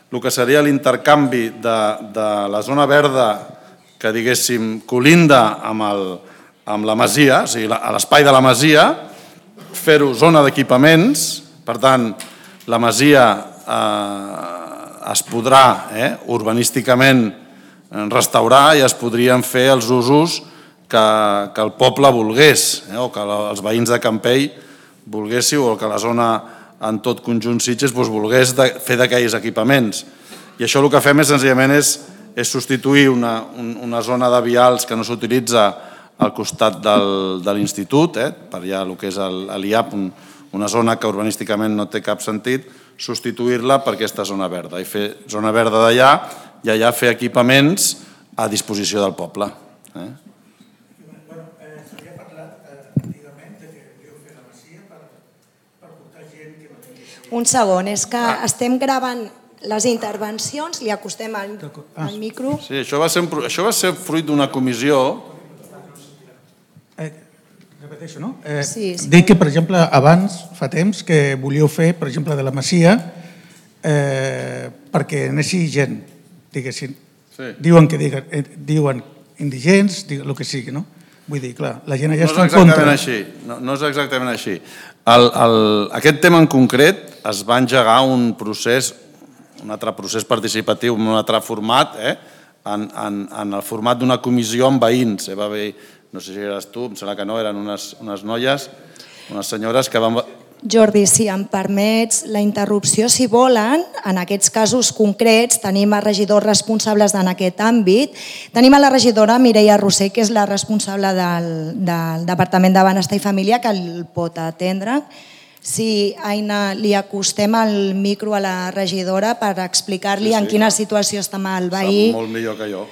el que seria l'intercanvi de la zona verda que, diguéssim, colinda amb la Masia, o sigui, a l'espai de la Masia, fer-ho zona d'equipaments. Per tant, la Masia es podrà urbanísticament restaurar i es podrien fer els usos que el poble volgués, o que els veïns de Campell volguéssiu, o que la zona en tot conjunt Sitges volgués fer d'aquells equipaments. I això el que fem és senzillament és substituir una zona de vials que no s'utilitza al costat de l'institut, per allà el que és l'IAP, una zona que urbanísticament no té cap sentit, substituir-la per aquesta zona verda i fer zona verda d'allà i allà fer equipaments a disposició del poble. S'havia parlat antigament que volíeu fer la masia per portar gent que no tingui... Un segon, és que estem gravant les intervencions, li acostem al micro. Sí, això va ser fruit d'una comissió. Repeteixo, no? Sí. Dic que, per exemple, abans, fa temps, que volíeu fer, per exemple, de la masia perquè anessi gent, diguéssim. Diuen indigents, el que sigui, no? Vull dir, clar, la gent allà està en contra. No és exactament així. Aquest tema en concret es va engegar un altre procés participatiu, un altre format, en el format d'una comissió amb veïns. Va haver, no sé si eres tu, em sembla que no, eren unes noies, unes senyores que van... Jordi, si em permets la interrupció, si volen, en aquests casos concrets tenim a regidors responsables en aquest àmbit. Tenim a la regidora Mireia Roser, que és la responsable del Departament de Benestar i Família, que el pot atendre. Si, Aina, li acostem el micro a la regidora per explicar-li en quina situació està el veí. Sap molt millor que jo.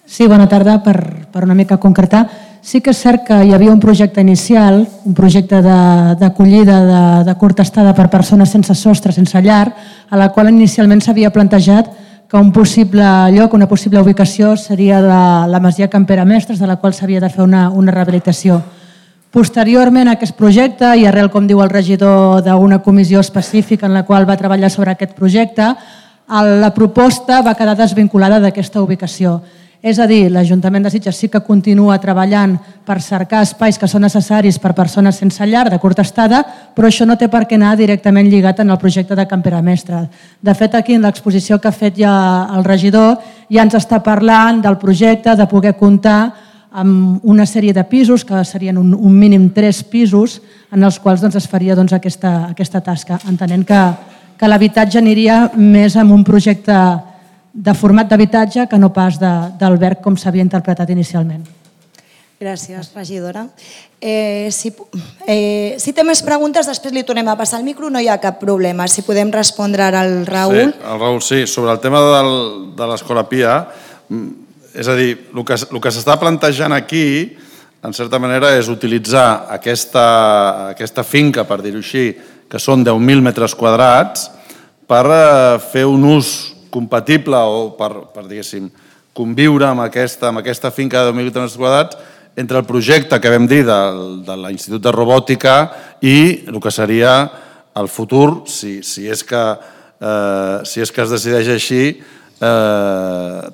Sí, bona tarda. Per una mica concretar, sí que és cert que hi havia un projecte inicial, un projecte d'acollida de curta estada per persones sense sostre, sense llar, a la qual inicialment s'havia plantejat que un possible lloc, una possible ubicació seria la masia Campera Mestres, de la qual s'havia de fer una rehabilitació. Posteriorment a aquest projecte, i arrel, com diu el regidor, d'una comissió específica en la qual va treballar sobre aquest projecte, la proposta va quedar desvinculada d'aquesta ubicació. És a dir, l'Ajuntament de Sitges sí que continua treballant per cercar espais que són necessaris per persones sense llar de curta estada, però això no té per què anar directament lligat en el projecte de Campera Mestre. De fet, aquí en l'exposició que ha fet ja el regidor ja ens està parlant del projecte de poder comptar amb una sèrie de pisos, que serien un mínim 3 pisos, en els quals es faria aquesta tasca, entenent que l'habitatge aniria més amb un projecte de format d'habitatge que no pas d'alberg com s'havia interpretat inicialment. Gràcies, regidora. Si té més preguntes, després li tornem a passar el micro, no hi ha cap problema. Si podem respondre ara al Raül. Sí, el Raül, sí. Sobre el tema de l'Escola Pia, és a dir, el que s'està plantejant aquí, en certa manera, és utilitzar aquesta finca, per dir-ho així, que són 10.000 metres quadrats, per fer un ús compatible o per diguéssim, conviure amb aquesta finca de 10.000 metres quadrats entre el projecte que vam dir de l'Institut de Robòtica i el que seria el futur, si és que es decideix així,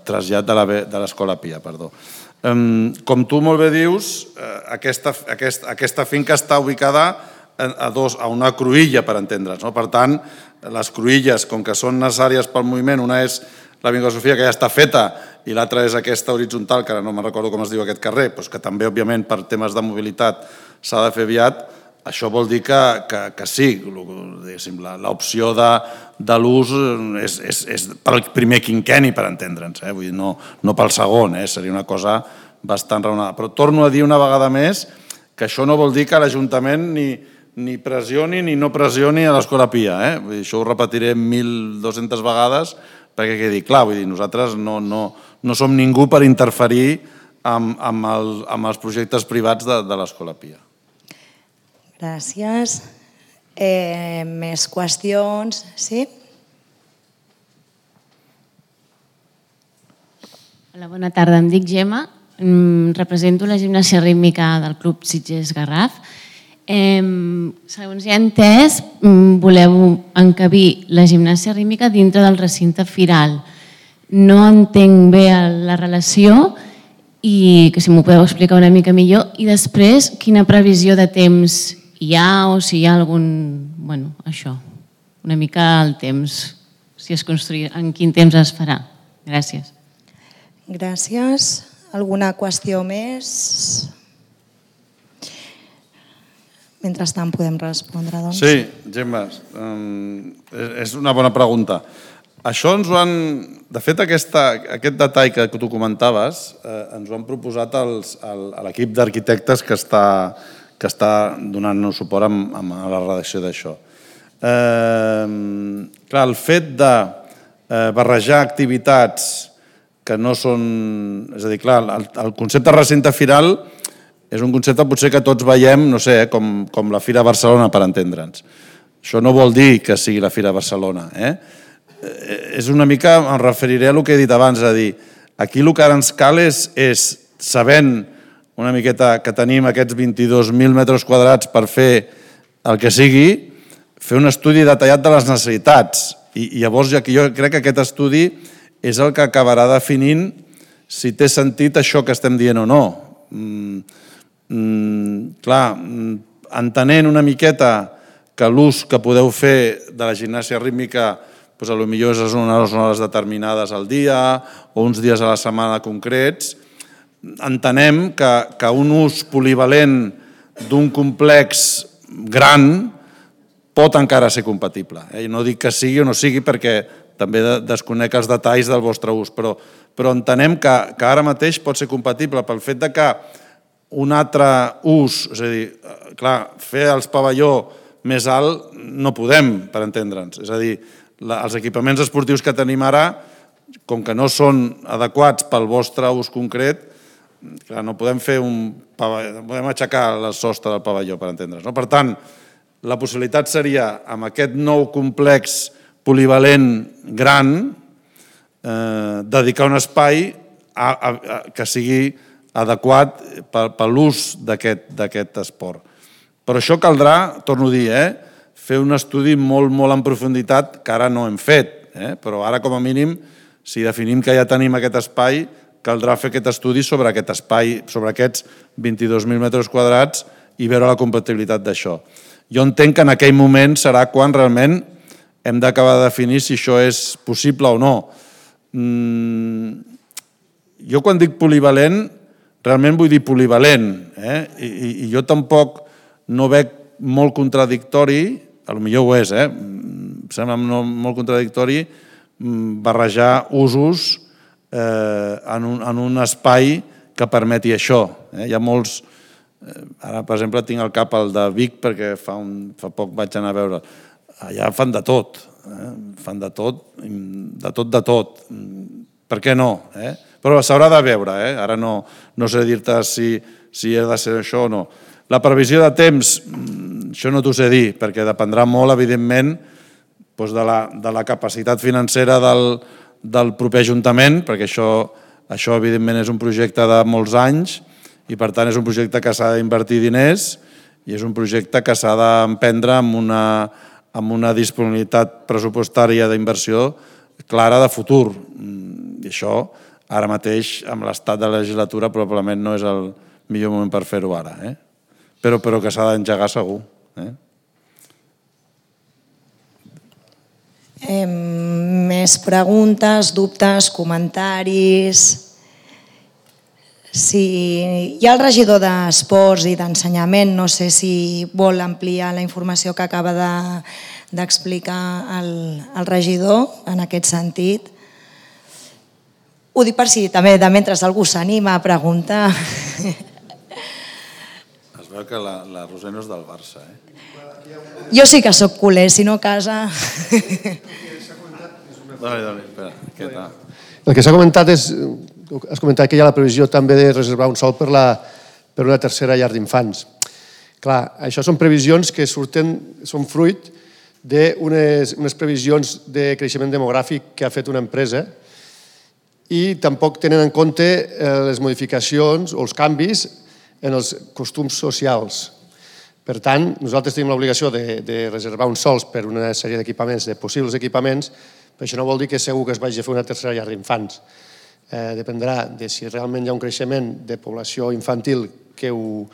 trasllat de l'Escola Pia. Com tu molt bé dius, aquesta finca està ubicada a una cruïlla, per entendre's. Per tant, les cruïlles, com que són necessàries pel moviment, una és l'Avinguda Sofia, que ja està feta, i l'altra és aquesta horitzontal, que ara no me'n recordo com es diu aquest carrer, que també, òbviament, per temes de mobilitat s'ha de fer aviat. Això vol dir que sí, l'opció de l'ús és pel primer quinquenni, per entendre'ns, vull dir, no pel segon, seria una cosa bastant raonada. Però torno a dir una vegada més que això no vol dir que l'Ajuntament ni pressioni ni no pressioni a l'Escola Pia. Això ho repetiré 1.200 vegades perquè quedi clar. Vull dir, nosaltres no som ningú per interferir amb els projectes privats de l'Escola Pia. Gràcies. Més qüestions? Sí? Hola, bona tarda. Em dic Gemma. Represento la gimnàsia rítmica del Club Sitges Garraf. Segons he entès, voleu encabir la gimnàsia rítmica dintre del recinte firal. No entenc bé la relació i que si m'ho podeu explicar una mica millor. I després, quina previsió de temps hi ha o si hi ha algun... Bueno, això, una mica el temps, si es construirà, en quin temps es farà. Gràcies. Gràcies. Alguna qüestió més? Mentrestant podem respondre, doncs. Sí, Gemma, és una bona pregunta. Això ens ho han... De fet, aquest detall que tu comentaves ens ho han proposat l'equip d'arquitectes que està donant-nos suport a la redacció d'això. Clar, el fet de barrejar activitats que no són... És a dir, clar, el concepte recinte firal és un concepte potser que tots veiem, no sé, com la Fira Barcelona, per entendre'ns. Això no vol dir que sigui la Fira Barcelona. És una mica, em referiré a el que he dit abans, és a dir, aquí el que ara ens cal és, sabent una miqueta que tenim aquests 22.000 metres quadrats per fer el que sigui, fer un estudi detallat de les necessitats. I llavors jo crec que aquest estudi és el que acabarà definint si té sentit això que estem dient o no. Clar, entenent una miqueta que l'ús que podeu fer de la gimnàsia rítmica potser és unes hores determinades al dia o uns dies a la setmana concrets, entenem que un ús polivalent d'un complex gran pot encara ser compatible. No dic que sigui o no sigui perquè també desconec els detalls del vostre ús, però entenem que ara mateix pot ser compatible pel fet que un altre ús, és a dir, clar, fer els pavelló més alt no podem, per entendre'ns. És a dir, els equipaments esportius que tenim ara, com que no són adequats pel vostre ús concret, clar, no podem fer no podem aixecar el sostre del pavelló, per entendre'ns. Per tant, la possibilitat seria, amb aquest nou complex polivalent gran, dedicar un espai que sigui adequat per l'ús d'aquest esport. Però això caldrà, torno a dir, fer un estudi molt, molt en profunditat que ara no hem fet, però ara com a mínim, si definim que ja tenim aquest espai, caldrà fer aquest estudi sobre aquest espai, sobre aquests 22.000 metres quadrats i veure la compatibilitat d'això. Jo entenc que en aquell moment serà quan realment hem d'acabar de definir si això és possible o no. Jo quan dic polivalent, realment vull dir polivalent, i jo tampoc no veig molt contradictori, potser ho és, em sembla molt contradictori barrejar usos en un espai que permeti això. Hi ha molts... Ara, per exemple, tinc al cap el de Vic perquè fa poc vaig anar a veure. Allà fan de tot, fan de tot. Per què no? Però s'haurà de veure, ara no sé dir-te si ha de ser això o no. La previsió de temps, això no t'ho sé dir, perquè dependrà molt, evidentment, de la capacitat financera del proper Ajuntament, perquè això evidentment és un projecte de molts anys i per tant és un projecte que s'ha d'invertir diners i és un projecte que s'ha d'emprendre amb una disponibilitat pressupostària d'inversió clara de futur. I això, ara mateix, amb l'estat de la legislatura, probablement no és el millor moment per fer-ho ara, però que s'ha d'engegar segur. Més preguntes, dubtes, comentaris... Si hi ha el regidor d'Esports i d'Ensenyament, no sé si vol ampliar la informació que acaba d'explicar el regidor en aquest sentit. Ho dic per si també de mentre algú s'anima a preguntar. Es veu que la Roser no és del Barça, Jo sí que sóc culer, si no casa... Dale, espera, què tal? El que s'ha comentat és... Has comentat que hi ha la previsió també de reservar un sòl per una tercera llar d'infants. Clar, això són previsions que són fruit d'unes previsions de creixement demogràfic que ha fet una empresa i tampoc tenen en compte les modificacions o els canvis en els costums socials. Per tant, nosaltres tenim l'obligació de reservar uns sòls per una sèrie d'equipaments, de possibles equipaments, però això no vol dir que segur que es vagi a fer una tercera llar d'infants. Dependrà de si realment hi ha un creixement de població infantil que ho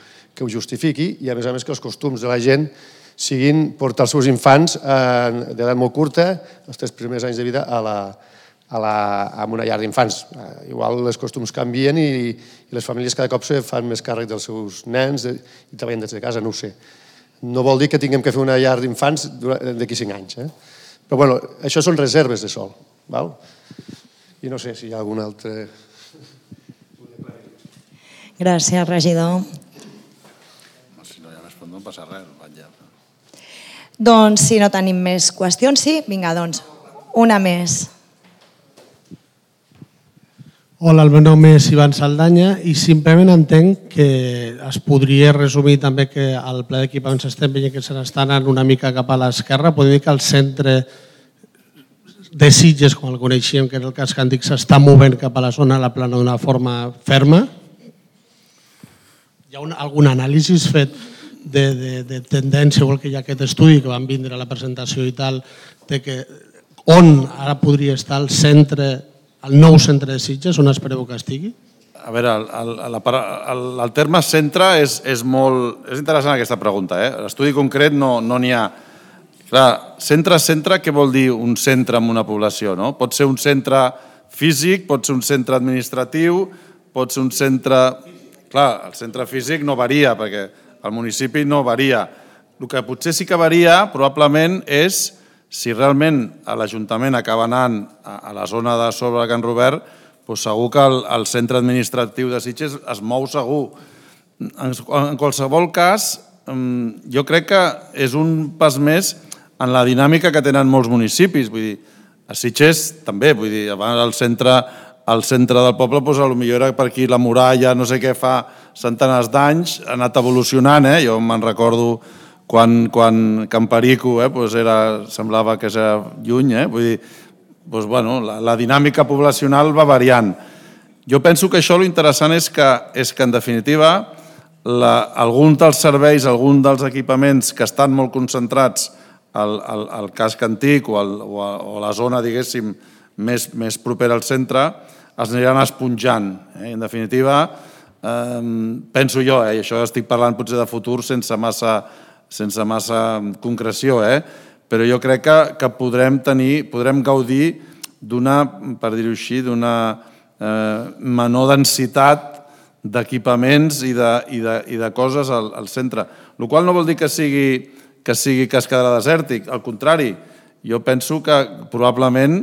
justifiqui i, a més, que els costums de la gent siguin portar els seus infants d'edat molt curta, els 3 primers anys de vida, a una llar d'infants. Igual els costums canvien i les famílies cada cop se fan més càrrec dels seus nens i treballen des de casa, no ho sé. No vol dir que tinguem que fer una llar d'infants d'aquí 5 anys. Però bueno, això són reserves de sòl. I no sé si hi ha algun altre... Gràcies, regidor. Si no hi ha més, no passa res. Doncs si no tenim més qüestions, sí? Vinga, doncs, una més. Hola, el meu nom és Ivan Saldanya i simplement entenc que es podria resumir també que al ple d'equipaments estem veient que se n'està anant una mica cap a l'esquerra. Podem dir que el centre de Sitges, com el coneixíem, que era el casc antic, s'està movent cap a la zona de la plana d'una forma ferma. Hi ha algun anàlisi fet de tendència, igual que hi ha aquest estudi que van vindre a la presentació i tal, de que on ara podria estar el centre, el nou centre de Sitges, on espereu que estigui? A veure, el terme centre és molt... És interessant aquesta pregunta. L'estudi concret no n'hi ha. Clar, centre, què vol dir un centre en una població? Pot ser un centre físic, pot ser un centre administratiu, pot ser un centre... Clar, el centre físic no varia, perquè el municipi no varia. El que potser sí que varia, probablement, és si realment l'Ajuntament acaba anant a la zona de sobre de Can Robert, doncs segur que el centre administratiu de Sitges es mou segur. En qualsevol cas, jo crec que és un pas més en la dinàmica que tenen molts municipis. Vull dir, a Sitges també, vull dir, abans al centre del poble, potser era per aquí la muralla, no sé què, fa centenars d'anys, ha anat evolucionant. Jo me'n recordo quan Can Perico semblava que era lluny. Vull dir, la dinàmica poblacional va variant. Jo penso que això l'interessant és que en definitiva, algun dels serveis, algun dels equipaments que estan molt concentrats al casc antic o a la zona, diguéssim, més propera al centre, es aniran esponjant. En definitiva, penso jo, i això estic parlant potser de futur sense massa concreció, però jo crec que podrem gaudir d'una, per dir-ho així, d'una menor densitat d'equipaments i de coses al centre. El qual no vol dir que sigui que es quedarà desèrtic, al contrari, jo penso que probablement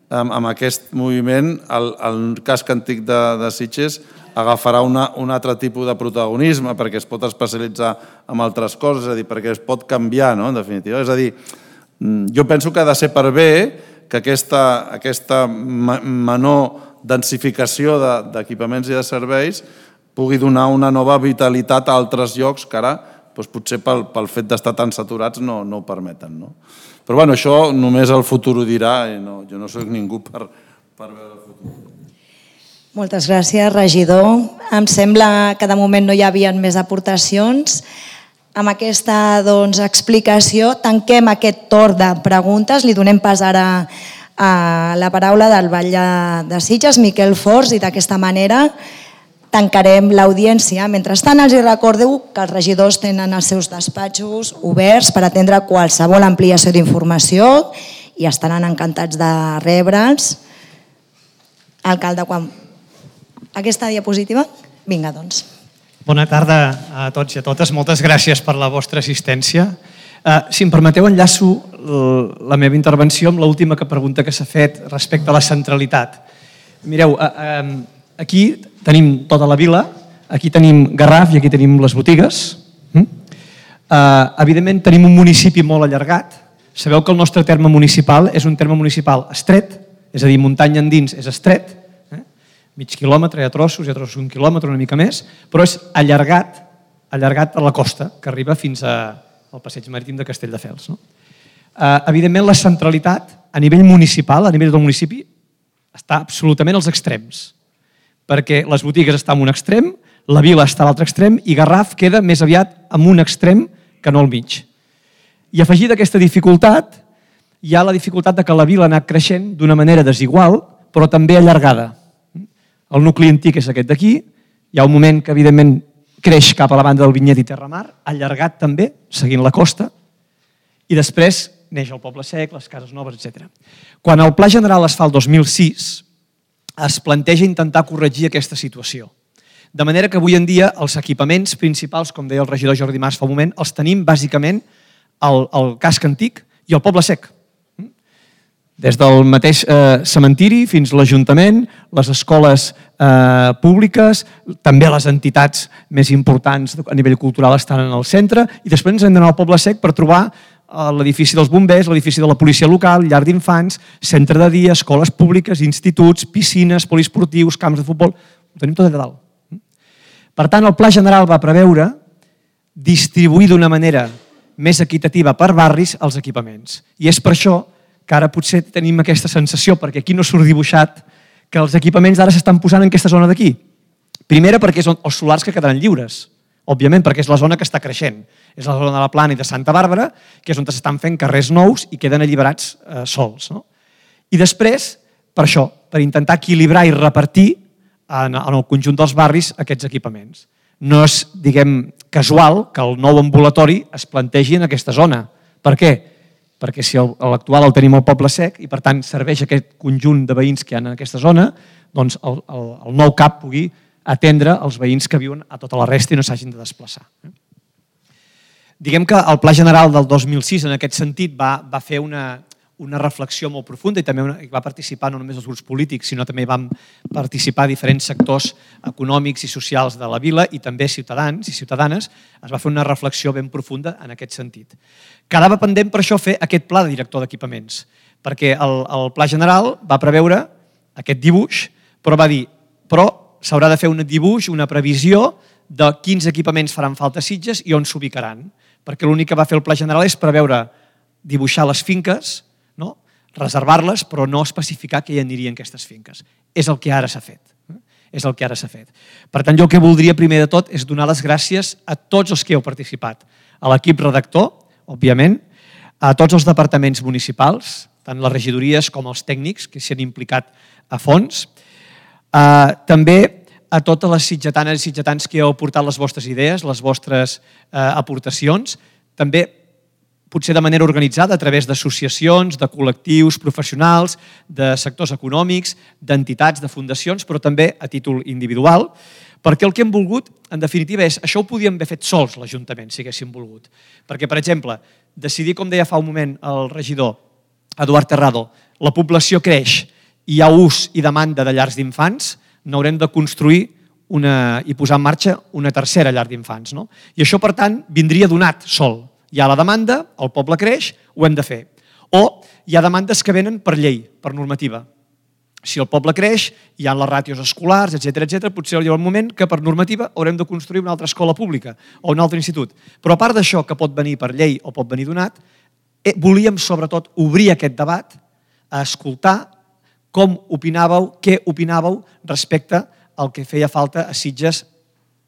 amb aquest moviment el casc antic de Sitges agafarà un altre tipus de protagonisme perquè es pot especialitzar en altres coses, és a dir, perquè es pot canviar, en definitiva. És a dir, jo penso que ha de ser per bé que aquesta menor densificació d'equipaments i de serveis pugui donar una nova vitalitat a altres llocs que ara potser pel fet d'estar tan saturats no ho permeten. Però això només el futur ho dirà i jo no soc ningú per veure el futur. Moltes gràcies, regidor. Em sembla que de moment no hi havia més aportacions. Amb aquesta explicació tanquem aquest torn de preguntes. Li donem pas ara a la paraula del batlle de Sitges, Miquel Fors, i d'aquesta manera tancarem l'audiència. Mentrestant, els recordo que els regidors tenen els seus despatxos oberts per atendre qualsevol ampliació d'informació i estaran encantats de rebre'ls. Alcalde, aquesta diapositiva? Vinga, doncs. Bona tarda a tots i a totes. Moltes gràcies per la vostra assistència. Si em permeteu, enllaço la meva intervenció amb l'última pregunta que s'ha fet respecte a la centralitat. Mireu, aquí tenim tota la vila, aquí tenim Garraf i aquí tenim les botigues. Evidentment tenim un municipi molt allargat. Sabeu que el nostre terme municipal és un terme municipal estret, és a dir, muntanya endins és estret, mig quilòmetre, hi ha trossos 1 quilòmetre, una mica més, però és allargat a la costa, que arriba fins al passeig marítim de Castelldefels. Evidentment, la centralitat a nivell municipal, a nivell del municipi, està absolutament als extrems, perquè les botigues estan en un extrem, la vila està a l'altre extrem i Garraf queda més aviat en un extrem que no al mig. I afegida aquesta dificultat, hi ha la dificultat que la vila ha anat creixent d'una manera desigual, però també allargada. El nucli antic és aquest d'aquí, hi ha un moment que evidentment creix cap a la banda del Vinyet i Terramar, allargat també, seguint la costa, i després neix el Poble Sec, les cases noves, etc. Quan el Pla General es fa el 2006, es planteja intentar corregir aquesta situació. De manera que avui en dia els equipaments principals, com deia el regidor Jordi Mas fa un moment, els tenim bàsicament al casc antic i al Poble Sec. Des del mateix cementiri fins a l'Ajuntament, les escoles públiques, també les entitats més importants a nivell cultural estan en el centre, i després ens hem d'anar al Poble Sec per trobar l'edifici dels bombers, l'edifici de la policia local, llar d'infants, centre de dia, escoles públiques, instituts, piscines, poliesportius, camps de futbol, ho tenim tot allà dalt. Per tant, el Pla General va preveure distribuir d'una manera més equitativa per barris els equipaments. I és per això que ara potser tenim aquesta sensació, perquè aquí no surt dibuixat, que els equipaments ara s'estan posant en aquesta zona d'aquí. Primera, perquè són els solars que quedaran lliures, òbviament, perquè és la zona que està creixent. És la zona de la Plana i de Santa Bàrbara, que és on s'estan fent carrers nous i queden alliberats sols. I després, per això, per intentar equilibrar i repartir en el conjunt dels barris aquests equipaments. No és, diguem, casual que el nou ambulatori es plantegi en aquesta zona. Per què? Perquè si l'actual el tenim al Poble Sec i per tant serveix aquest conjunt de veïns que hi ha en aquesta zona, doncs el nou CAP pugui atendre els veïns que viuen a tota la resta i no s'hagin de desplaçar. Diguem que el Pla General del 2006 en aquest sentit va fer una reflexió molt profunda i també va participar no només els grups polítics, sinó també van participar diferents sectors econòmics i socials de la vila i també ciutadans i ciutadanes. Es va fer una reflexió ben profunda en aquest sentit. Quedava pendent per això fer aquest pla de director d'equipaments, perquè el Pla General va preveure aquest dibuix, però va dir però s'haurà de fer un dibuix, una previsió de quins equipaments faran falta a Sitges i on s'ubicaran, perquè l'únic que va fer el Pla General és preveure dibuixar les finques, reservar-les, però no especificar que hi anirien aquestes finques. És el que ara s'ha fet. És el que ara s'ha fet. Per tant, jo el que voldria primer de tot és donar les gràcies a tots els que heu participat. A l'equip redactor, òbviament, a tots els departaments municipals, tant les regidories com els tècnics que s'hi han implicat a fons, també a totes les sitgetanes i sitgetans que heu aportat les vostres idees, les vostres aportacions, també potser de manera organitzada a través d'associacions, de col·lectius professionals, de sectors econòmics, d'entitats, de fundacions, però també a títol individual, perquè el que hem volgut, en definitiva, és això ho podíem haver fet sols l'Ajuntament, si haguéssim volgut. Perquè, per exemple, decidir, com deia fa un moment el regidor Eduard Terrado, la població creix i hi ha ús i demanda de llars d'infants, n'haurem de construir i posar en marxa una tercera llar d'infants. I això, per tant, vindria donat sol. Hi ha la demanda, el poble creix, ho hem de fer. O hi ha demandes que venen per llei, per normativa. Si el poble creix, hi ha les ràtios escolars, etc., potser hi ha un moment que per normativa haurem de construir una altra escola pública o un altre institut. Però a part d'això, que pot venir per llei o pot venir donat, volíem sobretot obrir aquest debat a escoltar com opinàveu, què opinàveu respecte al que feia falta a Sitges,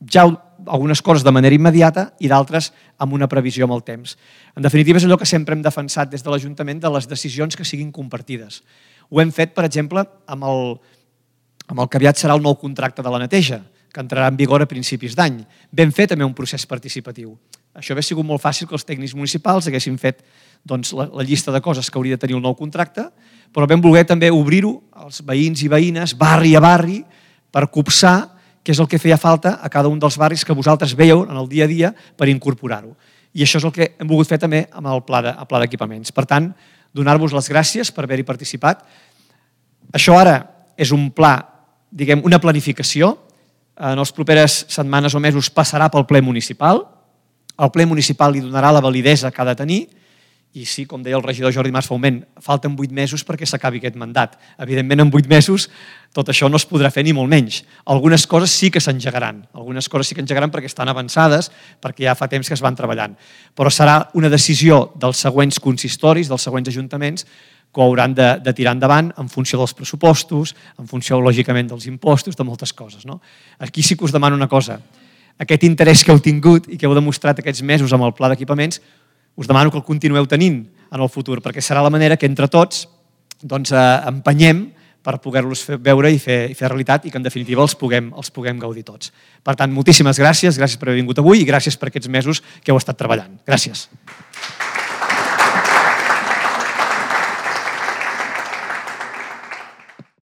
ja algunes coses de manera immediata i d'altres amb una previsió amb el temps. En definitiva, és allò que sempre hem defensat des de l'Ajuntament de les decisions que siguin compartides. Ho hem fet, per exemple, amb el que aviat serà el nou contracte de la neteja, que entrarà en vigor a principis d'any. Vam fer també un procés participatiu. Això hauria sigut molt fàcil que els tècnics municipals haguessin fet la llista de coses que hauria de tenir el nou contracte, però vam voler també obrir-ho als veïns i veïnes, barri a barri, per copsar què és el que feia falta a cada un dels barris que vosaltres veieu en el dia a dia per incorporar-ho. I això és el que hem volgut fer també amb el pla d'equipaments. Per tant, donar-vos les gràcies per haver-hi participat. Això ara és un pla, diguem, una planificació. En les properes setmanes o mesos passarà pel ple municipal. El ple municipal li donarà la validesa que ha de tenir. I sí, com deia el regidor Jordi Mas fa un moment, falten 8 mesos perquè s'acabi aquest mandat. Evidentment, en 8 mesos tot això no es podrà fer ni molt menys. Algunes coses sí que s'engegaran. Algunes coses sí que engegaran perquè estan avançades, perquè ja fa temps que es van treballant. Però serà una decisió dels següents consistoris, dels següents ajuntaments, que ho hauran de tirar endavant en funció dels pressupostos, en funció, lògicament, dels impostos, de moltes coses. Aquí sí que us demano una cosa. Aquest interès que heu tingut i que heu demostrat aquests mesos amb el pla d'equipaments, us demano que el continueu tenint en el futur, perquè serà la manera que entre tots empenyem per poder-los veure i fer realitat i que en definitiva els puguem gaudir tots. Per tant, moltíssimes gràcies per haver vingut avui i gràcies per aquests mesos que heu estat treballant. Gràcies.